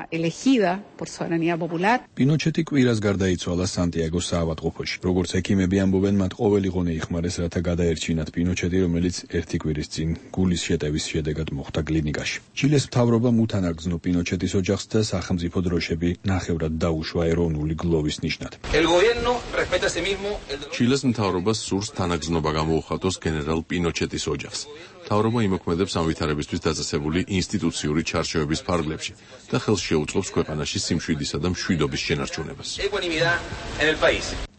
პინოჩეტი კვირას გარდაიცვალა სანტიაგოს საავადმყოფოში. როგორც ექიმები ამბობენ, მათ ყოველი ღონე იხმარეს, რათა გადაერჩინათ პინოჩეტი, რომელიც ერთი კვირის წინ გულის შეტევის შედეგად მოხვდა კლინიკაში. ჩილეს მთავრობამ უთანაგრძნო პინოჩეტის ოჯახს და სახელმწიფო დროშები ნახევრად დაუშვა ეროვნული გლოვის ნიშნად. ჩილეს მთავრობას სურს თანაგრძნობა გამოუხატოს გენერალ პინოჩეტის ოჯახს. მთავრობა იმოქმედებს ამ ვითარებისთვის დაწესებული ინსტიტუციური ჩარჩოების ფარგლებში და ხელს შეუწყობს ქვეყანაში სიმშვიდისა და მშვიდობის შენარჩუნებას.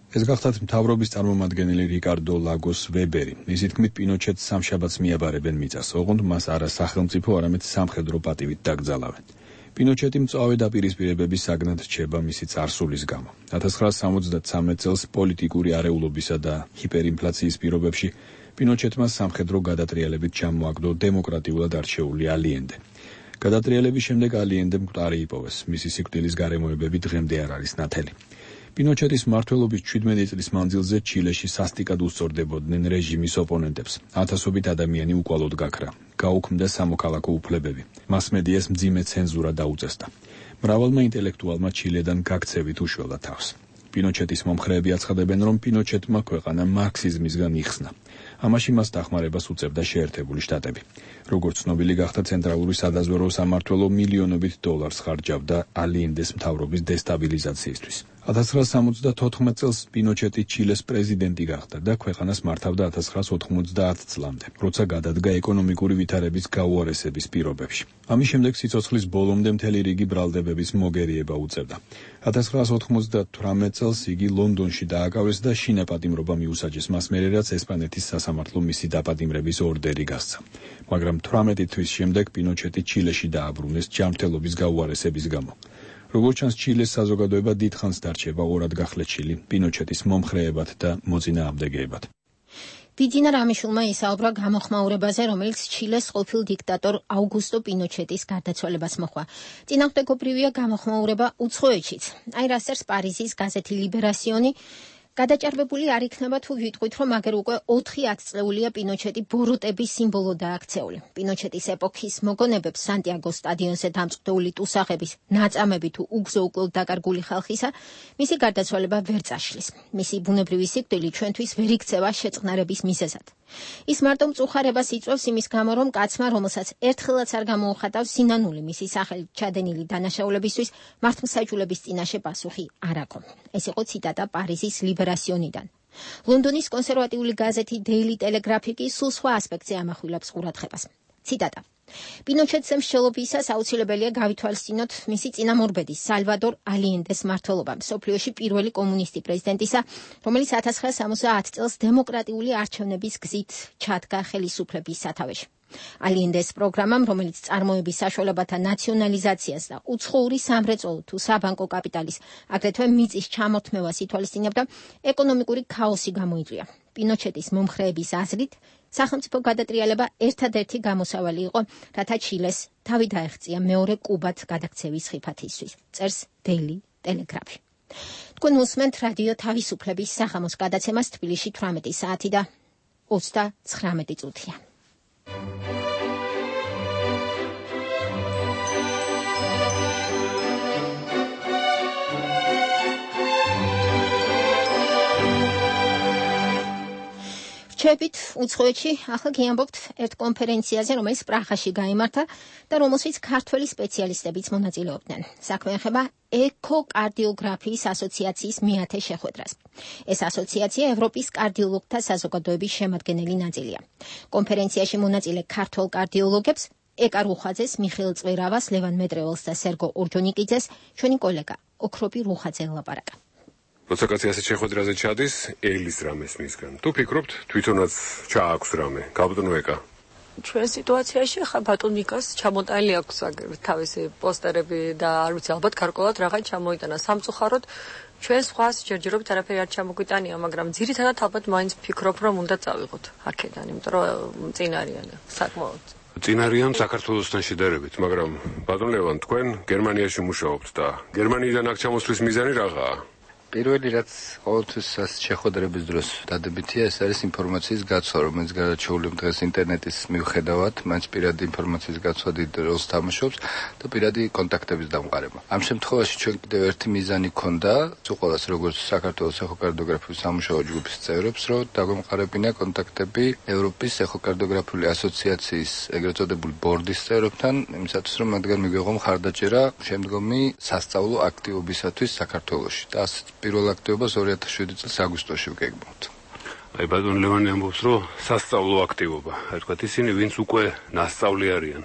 ეს გახდათ მთავრობის წარმომადგენელი რიკარდო ლაგოს ვებერი. მისი თქმით, პინოჩეტს სამშაბათს მიაბარებენ მიწას, ოღონდ მას არა სახელმწიფო, არამედ სამხედრო პატივით დაკრძალავენ. პინოჩეტი მწვავე დაპირისპირებების საგნად რჩება მისი წარსულის გამო. ათას ცხრაას სამოცდათრამეტ წელს პოლიტიკური არეულობისა და ჰიპერინფლაციის პირობებში პინოჩეტმა სამხედრო გადატრიალებით ჩამოაგდო დემოკრატიულად არჩეული ალიენდე. გადატრიალების შემდეგ ალიენდე მკვდარი იპოვეს. მისი სიკვდილის გარემოებები დღემდე არ არის ნათელი. პინოჩეტის მმართველობის ჩვიდმეტი წლის მანძილზე ჩილეში სასტიკად უსწორდებოდნენ რეჟიმის ოპონენტებს. ათასობით ადამიანი უკვალოდ გაქრა. გაუქმდა სამოქალაქო უფლებები. მასმედიას მძიმე ცენზურა დაუწესდა. მრავალმა ინტელექტუალმა ჩილედან გაქცევით უშველა თავს. პინოჩეტის მომხრეები აცხადებენ, რომ პინოჩეტმა ქვეყანა მარქსიზმისგან იხსნა. ამაში მას დახმარებას უწევდა შეერთებული შტატები. როგორც ცნობილი გახდა, ცენტრალური სადაზვერვო სამმართველო მილიონობით დოლარს ხარჯავდა ალიენდეს მთავრობის დესტაბილიზაციისთვის. ათას ცხრაას სამოცდათოთხმეტ წელს პინოჩეტი ჩილეს პრეზიდენტი გახდა და ქვეყანას მართავდა ათას ცხრაას ოთხმოცდაათ წლამდე, როცა გადადგა ეკონომიკური ვითარების გაუარესების პირობებში. ამის შემდეგ სიცოცხლის ბოლომდე მთელი რიგი ბრალდებების მოგერიება უწევდა. ათას ცხრაას ოთხმოცდათვრამეტ წელს იგი ლონდონში დააკავეს და შინაპატიმრობა მიუსაჯეს მას მერე, რაც ესპანეთის სასამართლო მისი დაპატიმრების ორდერი გასცა. მაგრამ თვრამეტი თვის შემდეგ პინოჩეტი ჩილეში დააბრუნეს ჯანმრთელობის გაუარესების გამო. როგორც ჩანს, ჩილეს საზოგადოება დიდხანს დარჩება ორად გახლეჩილი პინოჩეტის მომხრეებად და მოწინააღმდეგეებად. ბიძინა რამიშულმა ისაუბრა გამოხმაურებაზე, რომელიც ჩილეს ყოფილ დიქტატორ აუგუსტო პინოჩეტის გარდაცვალებას მოჰყვა. წინააღმდეგობრივია გამოხმაურება უცხოეთშიც. აი რასერს პარიზის გაზეთი ლიბერასიონი. გადაჭარბებული არ იქნება თუ ვიტყვით, რომ აგერ უკვე ოთხი ათწლეულია პინოჩეტი ბოროტების სიმბოლო დააქცეული. პინოჩეტის ეპოქის მოგონებებს სანტიაგოს სტადიონზე დამწყდეული ტუსაღების ნაწამები თუ უგზო უკვლოდ დაკარგული ხალხისა, მისი გარდაცვალება ვერ წაშლის. მისი ბუნებრივი სიკვდილი ჩვენთვის ვერ იქცევა შეწყნარების მიზეზად. ის მარტო მწუხარებას იწვევს იმის გამო, რომ კაცმა, რომელსაც ერთხელაც არ გამოუხატავს სინანული მისი სახელით ჩადენილი დანაშაულებისთვის, მართლმსაჯულების წინაშე პასუხი არ აქვს. ეს იყო ციტატა პარიზის ლიბერასიონიდან. ლონდონის კონსერვატიული გაზეთი დეილი ტელეგრაფი კი სულ სხვა ასპექტზე ამახვილებს ყურადღებას. ციტატა: პინოჩეტს მსჯელობისას აუცილებელია გავითვალისწინოთ მისი წინამორბედის სალვადორ ალიენდეს მმართველობა, მსოფლიოში პირველი კომუნისტი პრეზიდენტისა, რომელიც ათას ცხრაას სამოცდაათ წელს დემოკრატიული არჩევნების გზით ჩადგა ხელისუფლების სათავეში. ალიენდეს პროგრამამ, რომელიც წარმოების საშუალებათა ნაციონალიზაციას და უცხოური სამრეწველო თუ საბანკო კაპიტალის, აგრეთვე მიწის ჩამორთმევას ითვალისწინებდა, ეკონომიკური ქაოსი გამოიწვია. პინოჩეტის მომხრეების აზრით, სახელმწიფო გადატრიალება ერთადერთი გამოსავალი იყო, რათა ჩილეს თავი დაეღწია მეორე კუბად გადაქცევის ხიფათისთვის. წერს დეილი ტელეგრაფი. თქვენ უსმენთ რადიო თავისუფლების საღამოს გადაცემას თბილისში თვრამეტი საათი და ოცდაცხრამეტი წუთია. შევებით უცხოეთში, ახლა გიამბობთ ერთ კონფერენციაზე, რომელიც პრაღაში გაიმართა და რომელშიც ქართველი სპეციალისტებიც მონაწილეობდნენ. საქმე ეხება ეკოკარდიოგრაფიის ასოციაციის მეათე შეხვედრას. ეს ასოციაცია ევროპის კარდიოლოგთა საზოგადოების შემადგენელი ნაწილია. კონფერენციაში მონაწილე ქართველ კარდიოლოგებს ეკა რუხაძეს, მიხეილ წვერავას, ლევან მეტრეველს და სერგო ორჯონიკიძეს ჩვენი კოლეგა ოქროპი რუხაძე ელაპარაკა. როცა კაცი ასეთ შეხვედრაზე ჩადის, ელის რამეს მისგან. თუ ფიქრობთ, თვითონაც ჩააქვს რამე, გაბატონო ეკა. ჩვენ სიტუაციაში ხა ბატონ მიკას ჩამოტანილი აქვს თავისი პოსტერები და არ ვიცი ალბათ გარკვეულად რაღაც ჩამოიტანა სამწუხაროდ ჩვენ სხვას ჯერჯერობით არაფერი არ ჩამოგვიტანია, მაგრამ ძირითადად ალბათ მაინც ფიქრობ რომ უნდა წავიღოთ აქედან, იმიტომ რომ წინ არიან საკმაოდ. წინ არიან საქართველოსთან შედარებით, მაგრამ ბატონ ლევან, თქვენ გერმანიაში მუშაობთ და გერმანიიდან აქ ჩამოსვლის მიზანი რაღაცაა? პირველი რაც ყოველთვის შეხვედრების დროს დადებითია, ეს არის ინფორმაციის გაცვლა, რომელიც გადარჩეული დღეს ინტერნეტის მიუხედავად, მაინც პირადი ინფორმაციის გაცვლა დიდ როლს თამაშობს და პირადი კონტაქტების დამყარება. ამ შემთხვევაში ჩვენ კიდევ ერთი მიზანი ქონდა, უყოლას როგორც საქართველოს ეხოკარდიოგრაფიის სამუშაო ჯგუფის წევრებს, რომ დაგვემყარებინა კონტაქტები ევროპის ეხოკარდიოგრაფიული ასოციაციის ეგრეთ წოდებული ბორდის წევრებთან, იმისათვის რომ მათგან მიგვეღო მხარდაჭერა შემდგომი სასწავლო აქტივობისათვის საქართველოში. და პირველ აქტივობას ორი ათას შვიდი წლის აგვისტოში ვგეგმავთ. აი ბატონ ლევანი ამბობს, რომ სასწავლო აქტივობა, აი თქვათ ისინი, ვინც უკვე ნასწავლი არიან,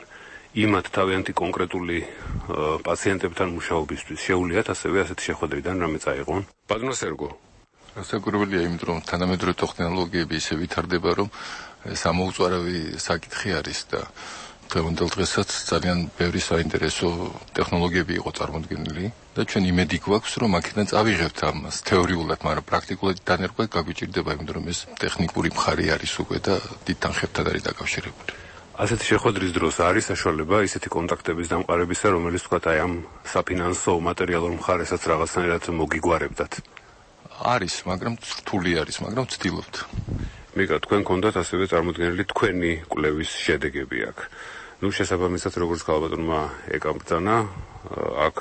იმათ თავიანთი კონკრეტული პაციენტებთან მუშაობისთვის შეუძლიათ ასევე ასეთი შეხვედრიდან რამე წაიღონ. ბატონო სერგო. გასაკვირველია, იმიტომ რომ თანამედროვე ტექნოლოგიები ისე ვითარდება, რომ ეს ამოუწარავი საკითხი არის და დღევანდელ დღესაც ძალიან ბევრი საინტერესო ტექნოლოგიები იყო წარმოდგენილი და ჩვენ იმედი გვაქვს, რომ აქედან წავიღებთ ამას თეორიულად, მაგრამ პრაქტიკულად დანერგვა გაგვიჭირდება, იმიტომ რომ ეს ტექნიკური მხარე არის უკვე და დიდ თანხებთან არის დაკავშირებული. ასეთი შეხვედრის დროს არის საშუალება ისეთი კონტაქტების დამყარებისა, რომელიც თქვათ აი ამ საფინანსო მატერიალურ მხარესაც რაღაცნაირად მოგიგვარებდათ. არის, მაგრამ რთული არის, მაგრამ ვცდილობთ. მიკა, თქვენ გქონდათ ასევე წარმოდგენილი თქვენი კვლევის შედეგები აქ. ნუ შესაბამისად, როგორც ქალბატონმა ეკამ ბრძანა, აქ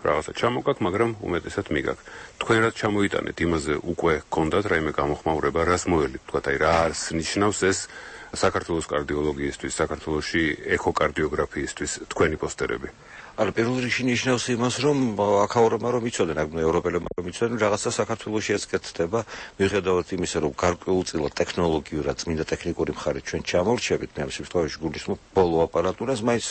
რაღაცა ჩამოგაკ, მაგრამ უმეტესად მიგაკ. თქვენ რაც ჩამოიტანეთ, იმაზე უკვე გქონდათ რაიმე გამოხმაურება, რას მოელით, თქვათ აი რა არის ნიშნავს ეს საქართველოს კარდიოლოგიისთვის, საქართველოში ეხოკარდიოგრაფიისთვის თქვენი პოსტერები. არა, პირველ რიგში ნიშნავს იმას, რომ აქაურებმა რომ იცოდნენ, აქ ევროპელებმა რომ იცოდნენ, რაღაცა საქართველოში ეცკეთდება, მიუხედავად იმისა, რომ გარკვეულწილად ტექნოლოგიურად წმინდა ტექნიკური მხარით ჩვენ ჩამორჩებით, მე ამ შემთხვევაში გულისხმობ ბოლო აპარატურას, მაინც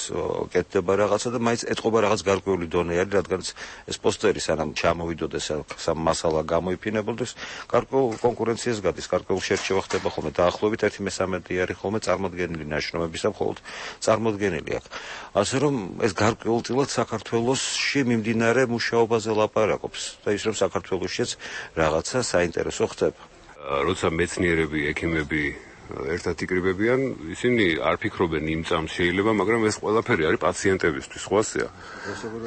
კეთდება რაღაცა და მაინც ეთყობა რაღაც გარკვეული დონე არის, რადგანაც ეს პოსტერი სანამ ჩამოვიდოდეს, სამ მასალა გამოიფინებოდეს, გარკვეულ კონკურენციას გადის, გარკვეულ შერჩევა ხდება ხოლმე, დაახლოებით ერთი მესამედი არის ხოლმე წარმოდგენილი ნაშრომების და მხოლოდ წარმოდგენილი აქ. ასე რომ ეს გარკვეულ საქართველოში მიმდინარე მუშაობაზე ლაპარაკობს და ის რომ საქართველოშიც რაღაცა საინტერესო ხდება. როცა მეცნიერები, ექიმები ერთად იკრიბებიან, ისინი არ ფიქრობენ იმ წამს შეიძლება, მაგრამ ეს ყველაფერი არის პაციენტებისთვის, ხვასია.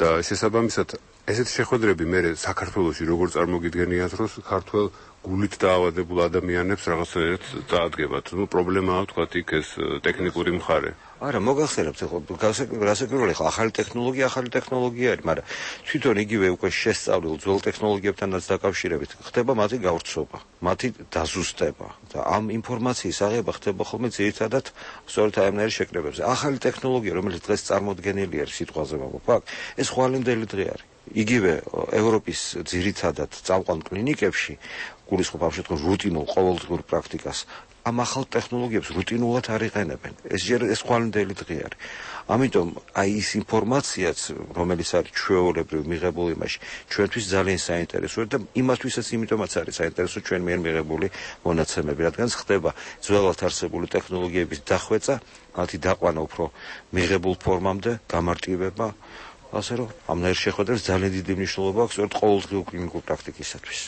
და შესაბამისად, ესეთი შეხვედრები მე საქართველოში როგორ წარმოგიდგენიათ, რომ ქართველ გულით დაავადებულ ადამიანებს რაღაცნაირად წაადგებათ. ნუ პრობლემაა თქვათ იქ ეს ტექნიკური მხარე. არა, მოგახსენებთ, ხო, გასაკვირველი ხო, ახალი ტექნოლოგია, ახალი ტექნოლოგია არის, მაგრამ თვითონ იგივე უკვე შესწავლილ ძველ ტექნოლოგიებთანაც დაკავშირებით ხდება მათი გავრცობა, მათი დაზუსტება და ამ ინფორმაციის აღება ხდება ხოლმე ძირითადად სწორედ აიმნაირი შეკრებებზე. ახალი ტექნოლოგია, რომელიც დღეს წარმოდგენილი არის სიტყვაზე ვამბობ, აქ ეს ხვალინდელი დღე არის. იგივე ევროპის ძირითადად წამყვან კლინიკებში გულისხმობ ამ შემთხვევაში რუტინულ ყოველდღიურ პრაქტიკას ამ ახალ ტექნოლოგიებს რუტინულად არ იყენებენ. ეს ჯერ ეს ხვალინდელი დღე არის. ამიტომ აი ის ინფორმაციაც, რომელიც არის ჩვეულებრივ მიღებული იმაში, ჩვენთვის ძალიან საინტერესოა და იმათვისაც იმიტომაც არის საინტერესო ჩვენ მიერ მიღებული მონაცემები, რადგან ხდება ძველად არსებული ტექნოლოგიების დახვეწა, მათი დაყვანა უფრო მიღებულ ფორმამდე, გამარტივება, ასე რომ ამნაირ შეხვედრებს ძალიან დიდი მნიშვნელობა აქვს სწორედ ყოველდღიურ კლინიკურ პრაქტიკისათვის.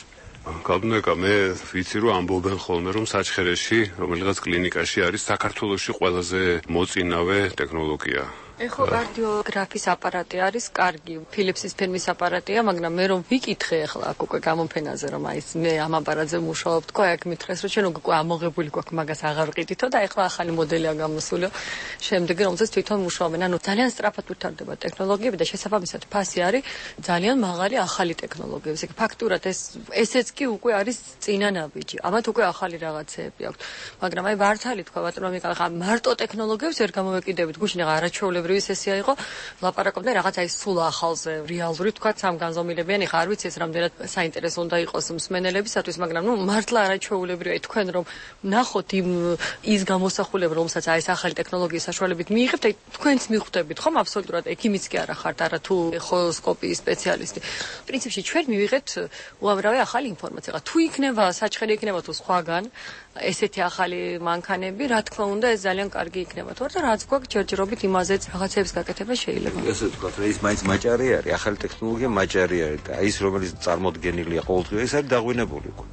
გაბნეკა, მე ვიცი რომ ამბობენ ხოლმე რომ საჩხერეში, რომელიღაც კლინიკაში არის საქართველოში ყველაზე მოწინავე ტექნოლოგია. ეხო კარდიოგრაფის აპარატი არის კარგი, ფილიპსის ფირმის აპარატია, მაგრამ მე რომ ვიკითხე ახლა აქ უკვე გამოფენაზე რომ აი მე ამ აპარატზე მუშაობ, თქო, აქ მითხრეს რომ ჩვენ უკვე ამოღებული გვაქვს, მაგას აღარ ვყიდითო და ახლა ახალი მოდელია გამოსულიო. შემდეგ რომელზეც თვითონ მუშაობენ. ანუ ძალიან სწრაფად ვითარდება ტექნოლოგიები და შესაბამისად ფასი არის ძალიან მაღალი ახალი ტექნოლოგიების. ეგ ფაქტურად ეს ესეც კი უკვე არის წინა ნაბიჯი. ამათ უკვე ახალი რაღაცეები აქვს. მაგრამ აი მართალი თქვა ბატონო მიკა, ხა მარტო ტექნოლოგიებს ვერ გამოვეკიდებით. გუშინ რა არაჩვეულებრივი სესია იყო, ლაპარაკობდნენ რაღაც აი სულ ახალზე, რეალური თქვა სამ განზომილებიანი, ხა არ ვიცი ეს რამდენად საინტერესო უნდა იყოს მსმენელებისათვის, მაგრამ ნუ მართლა არაჩვეულებრივია აი თქვენ რომ ნახოთ იმ ის გამოსახულება, რომელსაც აი ეს ახალი ტექნოლოგიის საშუალებით მიიღებთ, აი თქვენც მიხვდებით ხომ აბსოლუტურად ექიმიც კი არა ხართ, არა თუ ეხოსკოპიის სპეციალისტი. პრინციპში ჩვენ მივიღეთ უამრავი ახალი ინფორმაცია. თუ იქნება საჩხერი იქნება თუ სხვაგან ესეთი ახალი მანქანები, რა თქმა უნდა, ეს ძალიან კარგი იქნება. თორე რაც გვაქვს ჯერჯერობით იმაზეც რაღაცების გაკეთება შეიძლება. ესე ვთქვათ, რა ის მაინც მაჭარი არის, ახალი ტექნოლოგია მაჭარი არის და ის რომელიც წარმოდგენილია ყოველდღიურად, ეს არის დაღვინებული უკვე.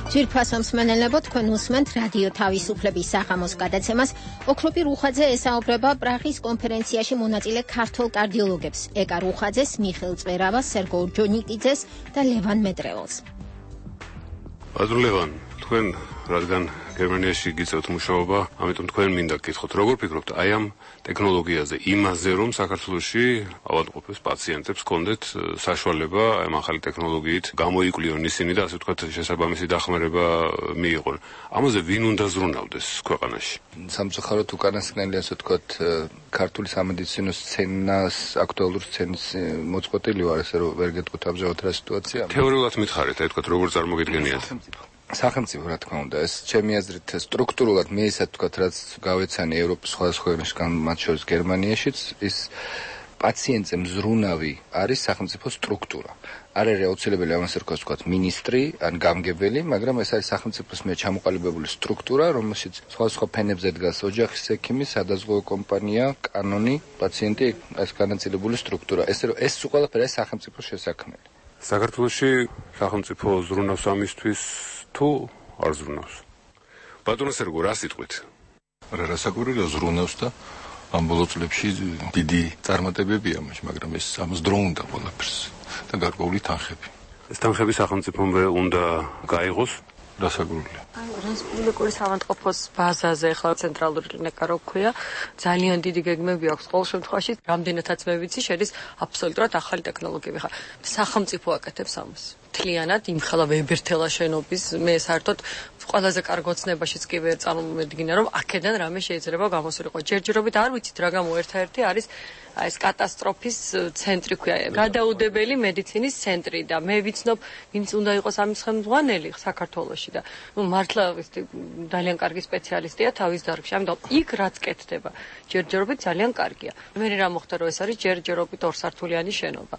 ძვირფასო მსმენელებო, თქვენ უსმენთ რადიო თავისუფლების საღამოს გადაცემას. ოქროპი რუხაძე ესაუბრება პრაღის კონფერენციაში მონაწილე ქართველ კარდიოლოგებს, ეკა რუხაძეს, მიხეილ წვერავას, სერგო ორჯონიკიძეს და ლევან მეტრეველს. ბატონო ლევან, თქვენ რადგან გერმანიაში გიწევთ მუშაობა, ამიტომ თქვენ მინდა გკითხოთ, როგორ ფიქრობთ აი ამ ტექნოლოგიაზე, იმაზე რომ საქართველოში ავადმყოფებს პაციენტებს კონდეთ საშუალება ამ ახალი ტექნოლოგიით გამოიკვლიონ ისინი და ასე ვთქვათ შესაბამისი დახმარება მიიღონ. ამაზე ვინ უნდა ზრუნავდეს ქვეყანაში? სამწუხაროდ უკანასკნელი ასე ვთქვათ ქართული სამედიცინო სცენას, აქტუალურ სცენის მოწყვეტილი ვარ, ესე რომ ვერ გეტყვით ამჟამად რა სიტუაცია. თეორიულად მითხარით, აი ვთქვათ როგორ წარმოგიდგენიათ? სახელმწიფო რა თქმა უნდა, ეს ჩემი აზრით სტრუქტურულად მე ისე ვთქვათ, რაც გავეცანი ევროპის სხვადასხვა ქვეყნებში, მათ შორის გერმანიაშიც, ის პაციენტზე მზრუნავი არის სახელმწიფო სტრუქტურა. არ არის აუცილებელი ამას რქოს ვთქვათ მინისტრი ან გამგებელი, მაგრამ ეს არის სახელმწიფოს მიერ ჩამოყალიბებული სტრუქტურა, რომელშიც სხვადასხვა ფენებზე დგას ოჯახის ექიმი, სადაზღვევო კომპანია, კანონი, პაციენტი, ეს განაწილებული სტრუქტურა. ესე რომ ეს ყველაფერი არის სახელმწიფოს შესაქმნელი. საქართველოში სახელმწიფო ზრუნავს ამისთვის თუ არ ზრუნავს? ბატონო სერგო, რა სიტყვით? რა რასაკვირველია ზრუნავს და ამ ბოლო წლებში დიდი წარმატებებია მას, მაგრამ ეს ამას დრო უნდა ყველაფერს და გარკვეული თანხები. ეს თანხები სახელმწიფომვე უნდა გაიღოს? რასაკვირველია. აი, რესპუბლიკური სამართყოფოს ბაზაზე ახლა ცენტრალური კლინიკა რო ქვია, ძალიან დიდი გეგმები აქვს ყოველ შემთხვევაში, რამდენადაც მე ვიცი, შედის აბსოლუტურად ახალი ტექნოლოგიები. ხა სახელმწიფო აკეთებს ამას. მთლიანად იმხელა ვებერთელა შენობის, მე საერთოდ ყველაზე კარგ ოცნებაშიც კი ვერ წარმომედგინა, რომ აქედან რამე შეიძლება გამოსულიყო. ჯერჯერობით არ ვიცით რა გამო ერთადერთი არის ეს კატასტროფის ცენტრი ქვია, გადაუდებელი მედიცინის ცენტრი და მე ვიცნობ, ვინც უნდა იყოს ამის ხელმძღვანელი საქართველოში და ნუ მართლა ძალიან კარგი სპეციალისტია თავის დარგში. ამიტომ იქ რაც კეთდება, ჯერჯერობით ძალიან კარგია. მე რა მოხდა რომ ეს არის ჯერჯერობით ორსართულიანი შენობა,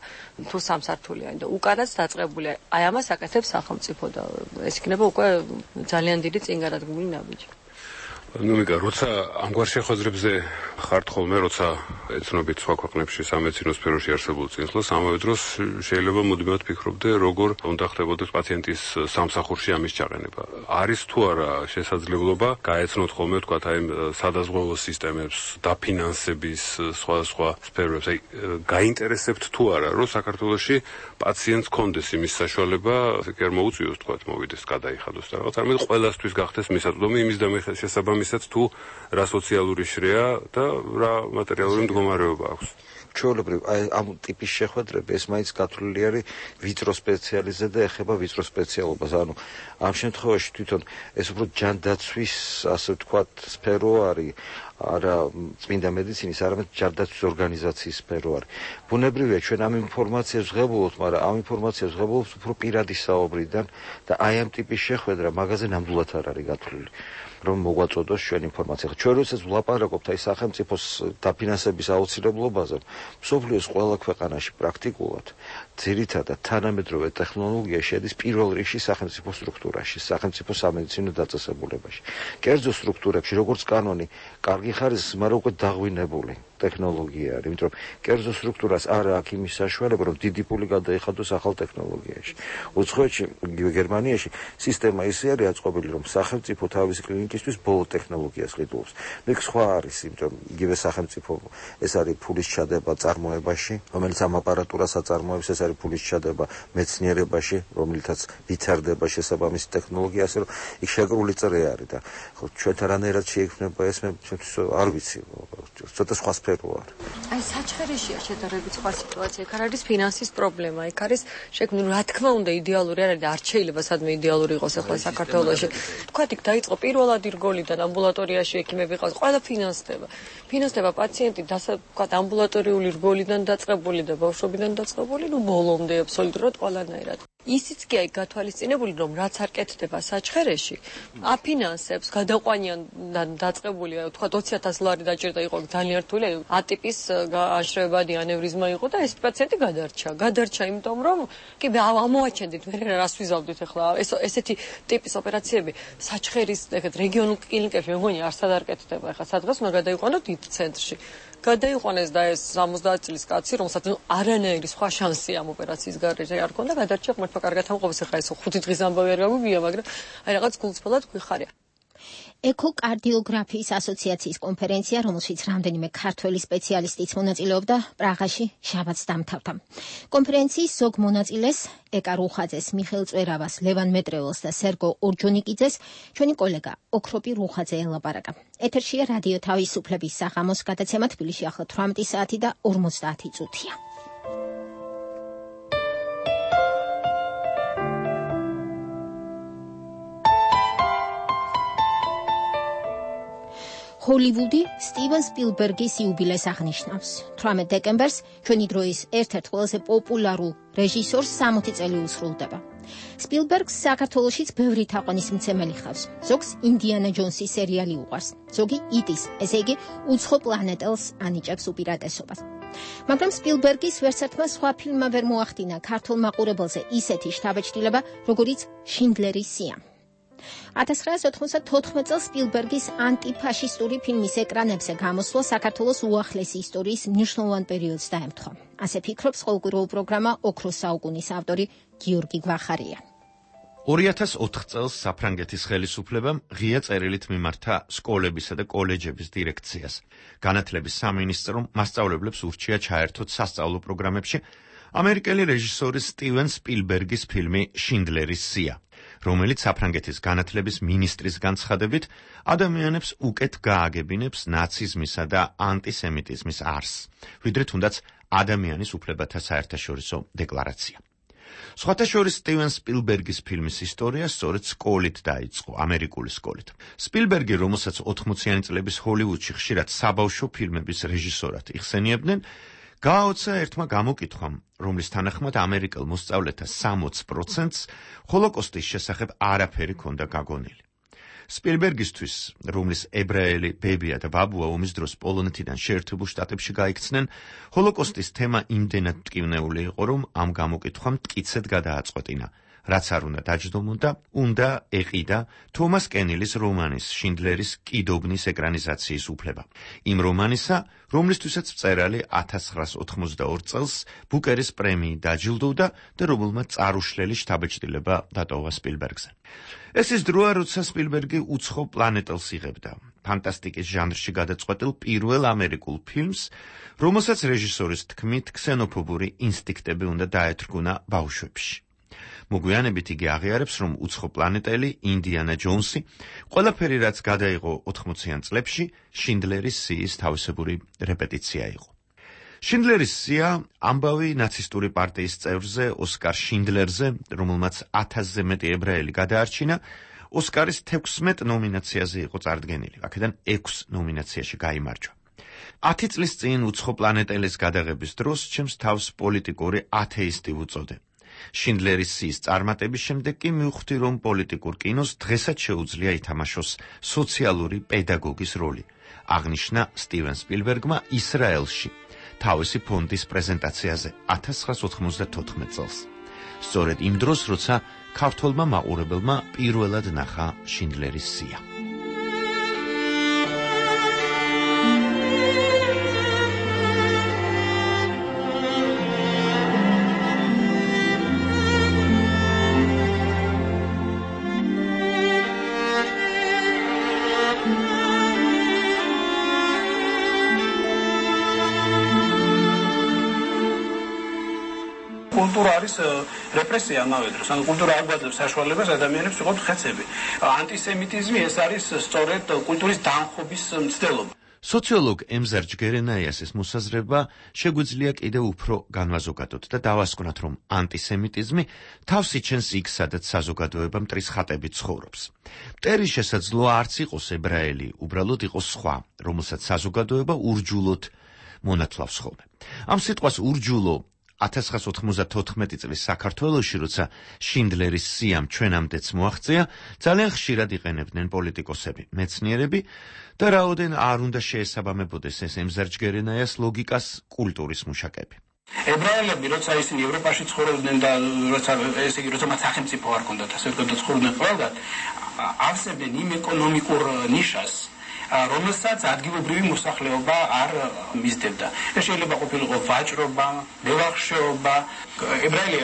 თუ სამსართულიანი და უკანაც დაწყებულია. აი ამას აკეთებს სახელმწიფო და ეს იქნება უკვე ძალიან დიდი წინგადადგმული ნაბიჯი. ნუ მიგა, როცა ამგვარ შეხვედრებზე ხართ ხოლმე, როცა ეცნობით სხვა ქვეყნებში სამედიცინო სფეროში არსებულ წინსვლას, ამავე დროს შეიძლება მუდმივად ფიქრობდე, როგორ უნდა ხდებოდეს პაციენტის სამსახურში ამის ჩაყენება. არის თუ არა შესაძლებლობა გაეცნოთ ხოლმე, თქვათ, აი სადაზღვევო სისტემებს, დაფინანსების სხვადასხვა სფეროებს, აი გაინტერესებთ თუ არა, რომ საქართველოში პაციენტს კონდეს იმის საშუალება, ასე კი არ მოუწიოს, თქვათ, მოვიდეს, გადაიხადოს და რაღაც, არამედ ყველასთვის გახდეს მისაწვდომი იმის და შესაბამისად თუ რა სოციალური შრეა და რა მატერიალური მდგომარეობა აქვს. ჩვეულებრივ აი ამ ტიპის შეხვედრები ეს მაინც გათვლილი არის ვიწრო სპეციალიზზე და ეხება ვიწრო სპეციალობას. ანუ ამ შემთხვევაში თვითონ ეს უფრო ჯანდაცვის, ასე ვთქვათ, სფერო არის, არა წმინდა მედიცინის, არამედ ჯანდაცვის ორგანიზაციის სფერო არის. ბუნებრივია ჩვენ ამ ინფორმაციას ვღებულობთ, მაგრამ ამ ინფორმაციას ვღებულობთ უფრო პირადი საუბრიდან და აი ამ ტიპის შეხვედრა მაგაზე ნამდვილად არ არის გათვლილი. რომ მოგვაწოდოს ჩვენ ინფორმაცია. ჩვენ როდესაც ვლაპარაკობთ აი სახელმწიფოს დაფინანსების აუცილებლობაზე, მსოფლიოს ყველა ქვეყანაში პრაქტიკულად ძირითადად თანამედროვე ტექნოლოგია შედის პირველ რიგში სახელმწიფო სტრუქტურაში, სახელმწიფო სამედიცინო დაწესებულებაში. კერძო სტრუქტურებში, როგორც კანონი, კარგი ხარისხის, მაგრამ უკვე დაღვინებული. ტექნოლოგია არის, იმიტომ რომ კერძო სტრუქტურას არ აქვს იმის საშუალება, რომ დიდი ფული გადაიხადოს ახალ ტექნოლოგიაში. უცხოეთში, გერმანიაში სისტემა ისე არის აწყობილი, რომ სახელმწიფო თავისი კლინიკისთვის ბოლო ტექნოლოგიას ყიდულობს. ნუ იქ სხვა არის, იმიტომ რომ იგივე სახელმწიფო ეს არის ფულის ჩადება წარმოებაში, რომელიც ამ აპარატურას აწარმოებს, ეს არის ფულის ჩადება მეცნიერებაში, რომლითაც ვითარდება შესაბამისი ტექნოლოგია, ასე რომ იქ შეკრული წრე არის და ხო ჩვენთან რანაირად შეიქმნება ეს მე არ ვიცი, ცოტა სხვა სფერო არის. აი საჩხერეშია შედარებით სხვა სიტუაცია, იქ არ არის ფინანსის პრობლემა, იქ არის შექმნილი, რა თქმა უნდა, იდეალური არ არის და არ შეიძლება სადმე იდეალური იყოს ახლა საქართველოში. თქვათ იქ დაიწყო პირველადი რგოლიდან ამბულატორიაში ექიმები ყავს, ყველა ფინანსდება. ფინანსდება პაციენტი თქვათ ამბულატორიული რგოლიდან დაწყებული და ბავშვობიდან დაწყებული, ნუ ბოლომდე აბსოლუტურად ყველანაირად. ისიც კი აი გათვალისწინებული, რომ რაც არ კეთდება საჩხერეში, აფინანსებს გადაყვანიან დაწყებული, თქვათ ოცი ათას ლარი დაჭირდა იყო ძალიან რთული, ატიპის აშრევებადი ანევრიზმა იყო და ეს პაციენტი გადარჩა. გადარჩა იმიტომ, რომ კი ამოაჩენდით, მე რას ვიზავდით ახლა ეს ესეთი ტიპის ოპერაციები საჩხერის ეგეთ რეგიონულ კლინიკებში მეგონი არსად არ კეთდება. ახლა სადღაც უნდა გადაიყვანოთ დიდ ცენტრში. გადაიყვანეს და ეს სამოცდაათი წლის კაცი, რომელსაც არანაირი სხვა შანსი ამ ოპერაციის გარეშე არ ქონდა, გადარჩა ღმერთმა კარგად ამყოფს, ახლა ეს ხუთი დღის ამბავი არ გაგვიგია, მაგრამ აი რაღაც გულწრფელად გვიხარია. ეკოკარდიოგრაფიის ასოციაციის კონფერენცია, რომელშიც რამდენიმე ქართველი სპეციალისტიც მონაწილეობდა, პრაღაში შაბათს დამთავრდა. კონფერენციის ზოგ მონაწილეს, ეკა რუხაძეს, მიხეილ წვერავას, ლევან მეტრეველს და სერგო ორჯონიკიძეს ჩვენი კოლეგა ოქროპი რუხაძე ელაპარაკა. ეთერშია რადიო თავისუფლების საღამოს გადაცემა, თბილისში ახლა თვრამეტი საათი და ორმოცდაათი წუთია. ჰოლივუდი სტივენ სპილბერგის იუბილეს აღნიშნავს. თვრამეტ დეკემბერს ჩვენი დროის ერთ-ერთ ყველაზე პოპულარულ რეჟისორს სამოცი წელი უსრულდება. სპილბერგს საქართველოშიც ბევრი თაყვანისმცემელი ხავს. ზოგს ინდიანა ჯონსის სერიალი უყვარს, ზოგი იტის, ესე იგი უცხო პლანეტელს ანიჭებს უპირატესობას. მაგრამ სპილბერგის ვერცერთმა სხვა ფილმმა ვერ მოახდინა ქართულ მაყურებელზე ისეთი შთაბეჭდილება, როგორიც შინდლერის სია. ათას ცხრაასი ოთხმოცდათოთხმეტ წელს სპილბერგის ანტიფაშისტური ფილმის ეკრანებზე გამოსვლა საქართველოს უახლესი ისტორიის მნიშვნელოვან პერიოდს დაემთხვა. ასე ფიქრობს ყოველკვირეულ პროგრამა ოქროს საუკუნის ავტორი გიორგი გვახარია. ორი ათას ოთხ წელს საფრანგეთის ხელისუფლებამ ღია წერილით მიმართა სკოლებისა და კოლეჯების დირექციას. განათლების სამინისტრომ მასწავლებლებს ურჩია ჩაერთოთ სასწავლო პროგრამებში ამერიკელი რეჟისორის სტივენ სპილბერგის ფილმი შინდლერის სია, რომელიც საფრანგეთის განათლების მინისტრის განცხადებით ადამიანებს უკეთ გააგებინებს ნაციზმისა და ანტისემიტიზმის არსს, ვიდრე თუნდაც ადამიანის უფლებათა საერთაშორისო დეკლარაცია. სხვათა შორის სტივენ სპილბერგის ფილმის ისტორია სწორედ სკოლით დაიწყო, ამერიკული სკოლით. სპილბერგი, რომელსაც ოთხმოციანი წლების ჰოლივუდში ხშირად საბავშვო ფილმების რეჟისორად იხსენიებდნენ, გააოცა ერთმა გამოკითხვამ, რომლის თანახმად ამერიკელ მოსწავლეთა სამოც პროცენტს ჰოლოკოსტის შესახებ არაფერი ჰქონდა გაგონილი. სპილბერგისთვის, რომლის ებრაელი ბებია და ბაბუა ომის დროს პოლონეთიდან შეერთებულ შტატებში გაიქცნენ, ჰოლოკოსტის თემა იმდენად მტკივნეული იყო, რომ ამ გამოკითხვამ მტკიცედ გადააწყვეტინა, რაც არ უნდა დაჯდომოდა, უნდა ეყიდა თომას კენილის რომანის შინდლერის კიდობნის ეკრანიზაციის უფლება. იმ რომანისა, რომლისთვისაც მწერალი ათას ცხრაასი ოთხმოცდაორი წელს ბუკერის პრემიით დაჯილდოვდა და რომელმაც წარუშლელი შთაბეჭდილება დატოვა სპილბერგზე. ეს ის დროა, როცა სპილბერგი უცხო პლანეტელს იღებდა, ფანტასტიკის ჟანრში გადაწყვეტილ პირველ ამერიკულ ფილმს, რომელსაც რეჟისორის თქმით ქსენოფობური ინსტინქტები უნდა დაეთრგუნა ბავშვებში. მოგვიანებით იგი აღიარებს, რომ უცხო პლანეტელი ინდიანა ჯონსი ყველაფერი, რაც გადაიღო ოთხმოციან წლებში, შინდლერის სიის თავისებური რეპეტიცია იყო. შინდლერის სია ამბავი ნაცისტური პარტიის წევრზე, ოსკარ შინდლერზე, რომელმაც ათასზე მეტი ებრაელი გადაარჩინა, ოსკარის თექვსმეტ ნომინაციაზე იყო წარდგენილი, აქედან ექვს ნომინაციაში გაიმარჯვა. ათი წლის წინ უცხო პლანეტელის გადაღების დროს ჩემს თავს პოლიტიკური ათეისტი ვუწოდე. შინდლერის სიის წარმატების შემდეგ კი მივხვდი, რომ პოლიტიკურ კინოს დღესაც შეუძლია ითამაშოს სოციალური პედაგოგის როლი, აღნიშნა სტივენ სპილბერგმა ისრაელში თავისი ფონდის პრეზენტაციაზე ათას ცხრაასი ოთხმოცდათოთხმეტ წელს. სწორედ იმ დროს, როცა ქართველმა მაყურებელმა პირველად ნახა შინდლერის სია. კულტურა არის რეპრესია ამავე დროს. ანუ კულტურა არ გვაძლევს საშუალებას ადამიანებს ვიყოთ ხეცები. ანტისემიტიზმი ეს არის სწორედ კულტურის დამხობის მცდელობა. სოციოლოგ ემზარ ჯგერენაიასის მოსაზრება შეგვიძლია კიდევ უფრო განვაზოგადოთ და დავასკვნათ, რომ ანტისემიტიზმი თავს იჩენს იქ, სადაც საზოგადოება მტრის ხატებით ცხოვრობს. მტერი შესაძლოა არც იყოს ებრაელი, უბრალოდ იყოს სხვა, რომელსაც საზოგადოება ურჯულოდ მონათლავს ხოლმე. ამ სიტყვას ურჯულო ათას ცხრაას ოთხმოცდათოთხმეტი წლის საქართველოში, როცა შინდლერის სიამ ჩვენამდეც მოაღწია, ძალიან ხშირად იყენებდნენ პოლიტიკოსები, მეცნიერები და რაოდენ არ უნდა შეესაბამებოდეს ეს ემზარ ჯგერენაიას ლოგიკას კულტურის მუშაკები. ებრაელები, როცა ისინი ევროპაში ცხოვრობდნენ და როცა ესე იგი როცა მათ სახელმწიფო არ ჰქონდათ, ასე ვთქვათ, ცხოვრობდნენ ყველგან, ავსებდნენ იმ ეკონომიკურ ნიშას, რომელსაც ადგილობრივი მოსახლეობა არ მისდევდა. ეს შეიძლება ყოფილიყო ვაჭრობა, მევახშეობა. ებრაელი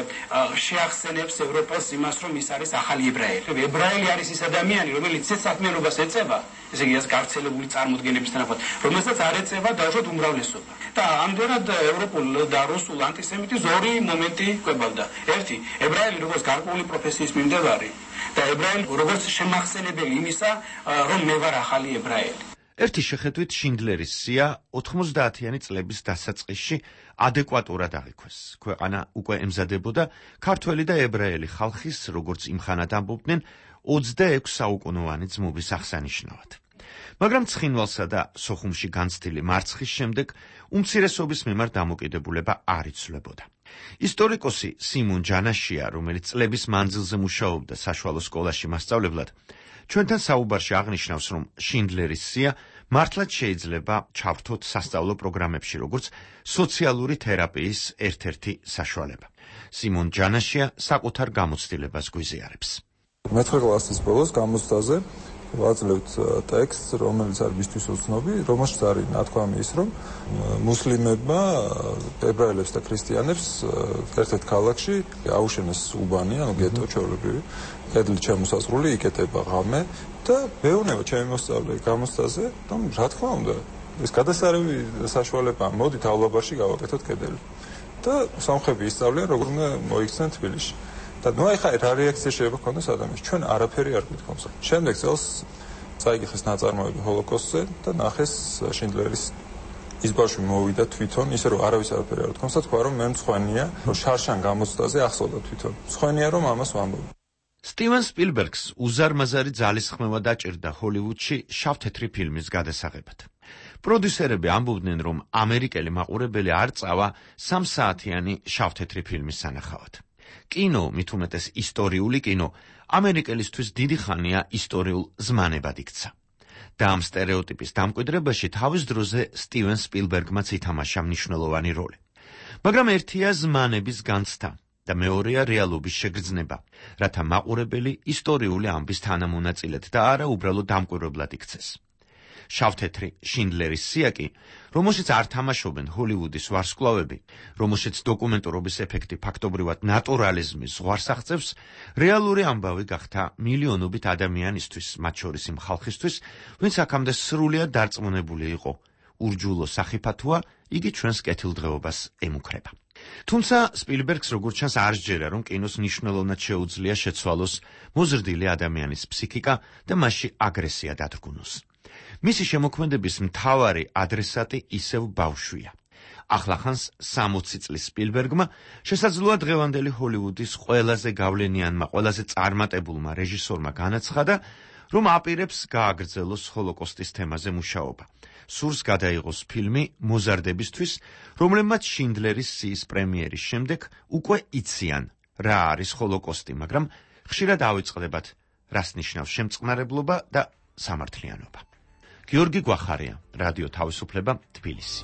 შეახსენებს ევროპას იმას, რომ ის არის ახალი ებრაელი. ებრაელი არის ის ადამიანი, რომელიც ეს საქმიანობას ეწევა, ესე იგი ეს გავრცელებული წარმოდგენების თანახმად, რომელსაც არ ეწევა დაუშვათ უმრავლესობა. და ამდენად ევროპულ და რუსულ ანტისემიტიზმს ორი მომენტი კვებავდა. ერთი, ებრაელი როგორც გარკვეული პროფესიის მიმდევარი და ებრაელი როგორც შემახსენებელი იმისა, რომ მე ვარ ახალი ებრაელი. ერთი შეხედვით შინდლერის სია ოთხმოცდაათიანი წლების დასაწყისში ადეკვატურად აღიქვეს. ქვეყანა უკვე ემზადებოდა ქართველი და ებრაელი ხალხის, როგორც იმხანად ამბობდნენ, ოცდაექვსი საუკუნოვანი ძმობის აღსანიშნავად. მაგრამ ცხინვალსა და სოხუმში განცდილი მარცხის შემდეგ უმცირესობის მიმართ დამოკიდებულება არ იცვლებოდა. ისტორიკოსი სიმონ ჯანაშია, რომელიც წლების მანძილზე მუშაობდა საშუალო სკოლაში მასწავლებლად, ჩვენთან საუბარში აღნიშნავს, რომ შინდლერის სია მართლაც შეიძლება ჩავრთოთ სასწავლო პროგრამებში, როგორც სოციალური თერაპიის ერთ-ერთი საშუალება. სიმონ ჯანაშია საკუთარ გამოცდილებას გვიზიარებს. მეცხრე კლასის ბოლოს გამოცდაზე ვაძლევთ ტექსტს, რომელიც არის მისთვის უცნობი, რომელშიც არის ნათქვამი ის, რომ მუსლიმებმა ებრაელებს და ქრისტიანებს ერთ-ერთ ქალაქში აუშენეს უბანი, ანუ გეტო ჩვეულებრივი, კედლით შემოსაზღვრული, იკეტება ღამე და მეუბნება ჩემი მოსწავლე გამოცდაზე, რომ რა თქმა უნდა, ეს გადასარევი საშუალებაა, მოდითავლაბარში გავაკეთოთ კედელი. და სამხები ისწავლიან, როგორ უნდა მოიქცნენ თბილისში. და ნუ ახლა რა რეაქცია შეიძლება ქონდეს ადამიანს? ჩვენ არაფერი არ გვითხოვს. შემდეგ წელს წაიგიხეს ნაწარმოები ჰოლოკოსტზე და ნახეს შინდლერის ის ბავშვი მოვიდა თვითონ, ისე რომ არავის არაფერი არ გითხოვს და თქვა რომ მე მცხვენია, რომ შარშან გამოცდაზე ახსოვდა თვითონ. მცხვენია რომ ამას ვამბობ. სტივენ სპილბერგს უზარმაზარი ძალისხმევა დაჭირდა ჰოლივუდში შავ-თეთრი ფილმის გადასაღებად. პროდიუსერები ამბობდნენ, რომ ამერიკელი მაყურებელი არ წავა სამსაათიანი შავ-თეთრი ფილმის სანახავად. კინო, მით უმეტეს ისტორიული კინო, ამერიკელისთვის დიდი ხანია ისტორიულ ზმანებად იქცა. და ამ სტერეოტიპის დამკვიდრებაში თავის დროზე სტივენ სპილბერგმაც ითამაშა მნიშვნელოვანი როლი. მაგრამ ერთია ზმანების განცდა და მეორეა რეალობის შეგრძნება, რათა მაყურებელი ისტორიული ამბის თანამონაწილედ და არა უბრალოდ დამკვირვებლად იქცეს. შავ-თეთრი შინდლერის სია კი, რომელშიც არ თამაშობენ ჰოლივუდის ვარსკვლავები, რომელშიც დოკუმენტურობის ეფექტი ფაქტობრივად ნატურალიზმის ზღვარს აღწევს, რეალური ამბავი გახდა მილიონობით ადამიანისთვის, მათ შორის იმ ხალხისთვის, ვინც აქამდე სრულიად დარწმუნებული იყო, ურჯულო სახიფათოა, იგი ჩვენს კეთილდღეობას ემუქრება. თუმცა სპილბერგს როგორც ჩანს არ სჯერა, რომ კინოს მნიშვნელოვნად შეუძლია შეცვალოს მოზრდილი ადამიანის ფსიქიკა და მასში აგრესია დადგუნოს. მისი შემოქმედების მთავარი ადრესატი ისევ ბავშვია. ახლახანს სამოცი წლის სპილბერგმა შესაძლოა დღევანდელი ჰოლივუდის ყველაზე გავლენიანმა, ყველაზე წარმატებულმა რეჟისორმა განაცხადა, რომ აპირებს გააგრძელოს ჰოლოკოსტის თემაზე მუშაობა. სურს გადაიღოს ფილმი მოზარდებისთვის, რომლებმაც შინდლერის სიის პრემიერის შემდეგ უკვე იციან, რა არის ჰოლოკოსტი, მაგრამ ხშირად ავიწყდებათ, რას ნიშნავს შემწყნარებლობა და სამართლიანობა. გიორგი გვახარია, რადიო თავისუფლება, თბილისი.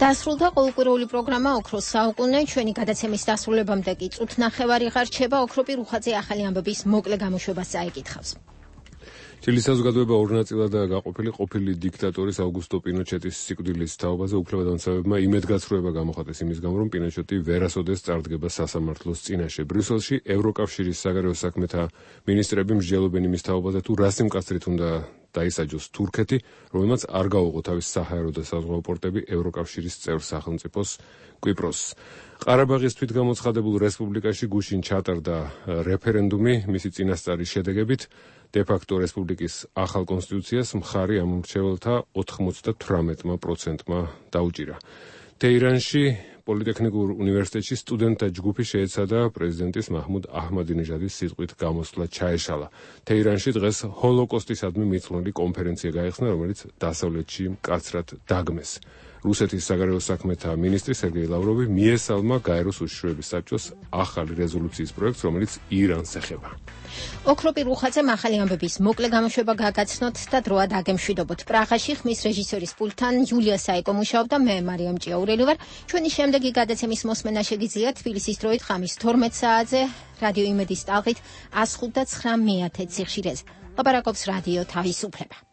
დასრულდა ყოველკვირეული პროგრამა ოქროს საუკუნე. ჩვენი გადაცემის დასრულებამდე კი წუთ ნახევარი ღარჩება. ოქროპი რუხაძე ახალი ამბების მოკლე გამოშვებას წაიკითხავს. ჩილის საზოგადოება ორ ნაწილადაა გაყოფილი. ყოფილი დიქტატორის აუგუსტო პინოჩეტის სიკვდილის თაობაზე უფლებადამცავებმა იმედგაცრუება გამოხატეს იმის გამო, რომ პინოჩეტი ვერასოდეს წარდგება სასამართლოს წინაშე. ბრიუსელში ევროკავშირის საგარეო საქმეთა მინისტრები მსჯელობენ იმის თაობაზე, თუ რა სიმკაცრით უნდა დაისაჯოს თურქეთი, რომელმაც არ გაუღო თავის საჰაერო და საზღვაო პორტები ევროკავშირის წევრ სახელმწიფოს კვიპროსს. ყარაბაღის თვითგამოცხადებულ რესპუბლიკაში გუშინ ჩატარდა რეფერენდუმი, მისი წინასწარის შედეგებით დე-ფაქტო რესპუბლიკის ახალ კონსტიტუციას მხარი ამ მრჩეველთა ოთხმოცდათვრამეტმა პროცენტმა დაუჭირა. თეირანში პოლიტექნიკურ უნივერსიტეტში სტუდენტთა ჯგუფი შეეცადა პრეზიდენტის მაჰმუდ აჰმადინეჟადის სიტყვით გამოსვლა ჩაეშალა. თეირანში დღეს ჰოლოკოსტისადმი მიწვეული კონფერენცია გაიხსნა, რომელიც დასავლეთში მკაცრად დაგმეს. რუსეთის საგარეო საქმეთა მინისტრი სერგეი ლავროვი მიესალმა გაეროს უშიშროების საბჭოს ახალი რეზოლუციის პროექტს, რომელიც ირანს ეხება. ოქროპირ უხაძემ ახალი ამბების მოკლე გამოშვება გაგაცნოთ და დროა დაგემშვიდობოთ. პრაღაში ხმის რეჟისორის პულტთან იულია საიკო მუშაობდა, მე მარიამ ჭიაურელი ვარ. ჩვენი შემდეგი გადაცემის მოსმენა შეგიძლიათ თბილისის დროით ღამის თორმეტ საათზე რადიო იმედის ტალღით one oh five და nine one one სიხშირეზე. ლაპარაკობს რადიო თავისუფლება.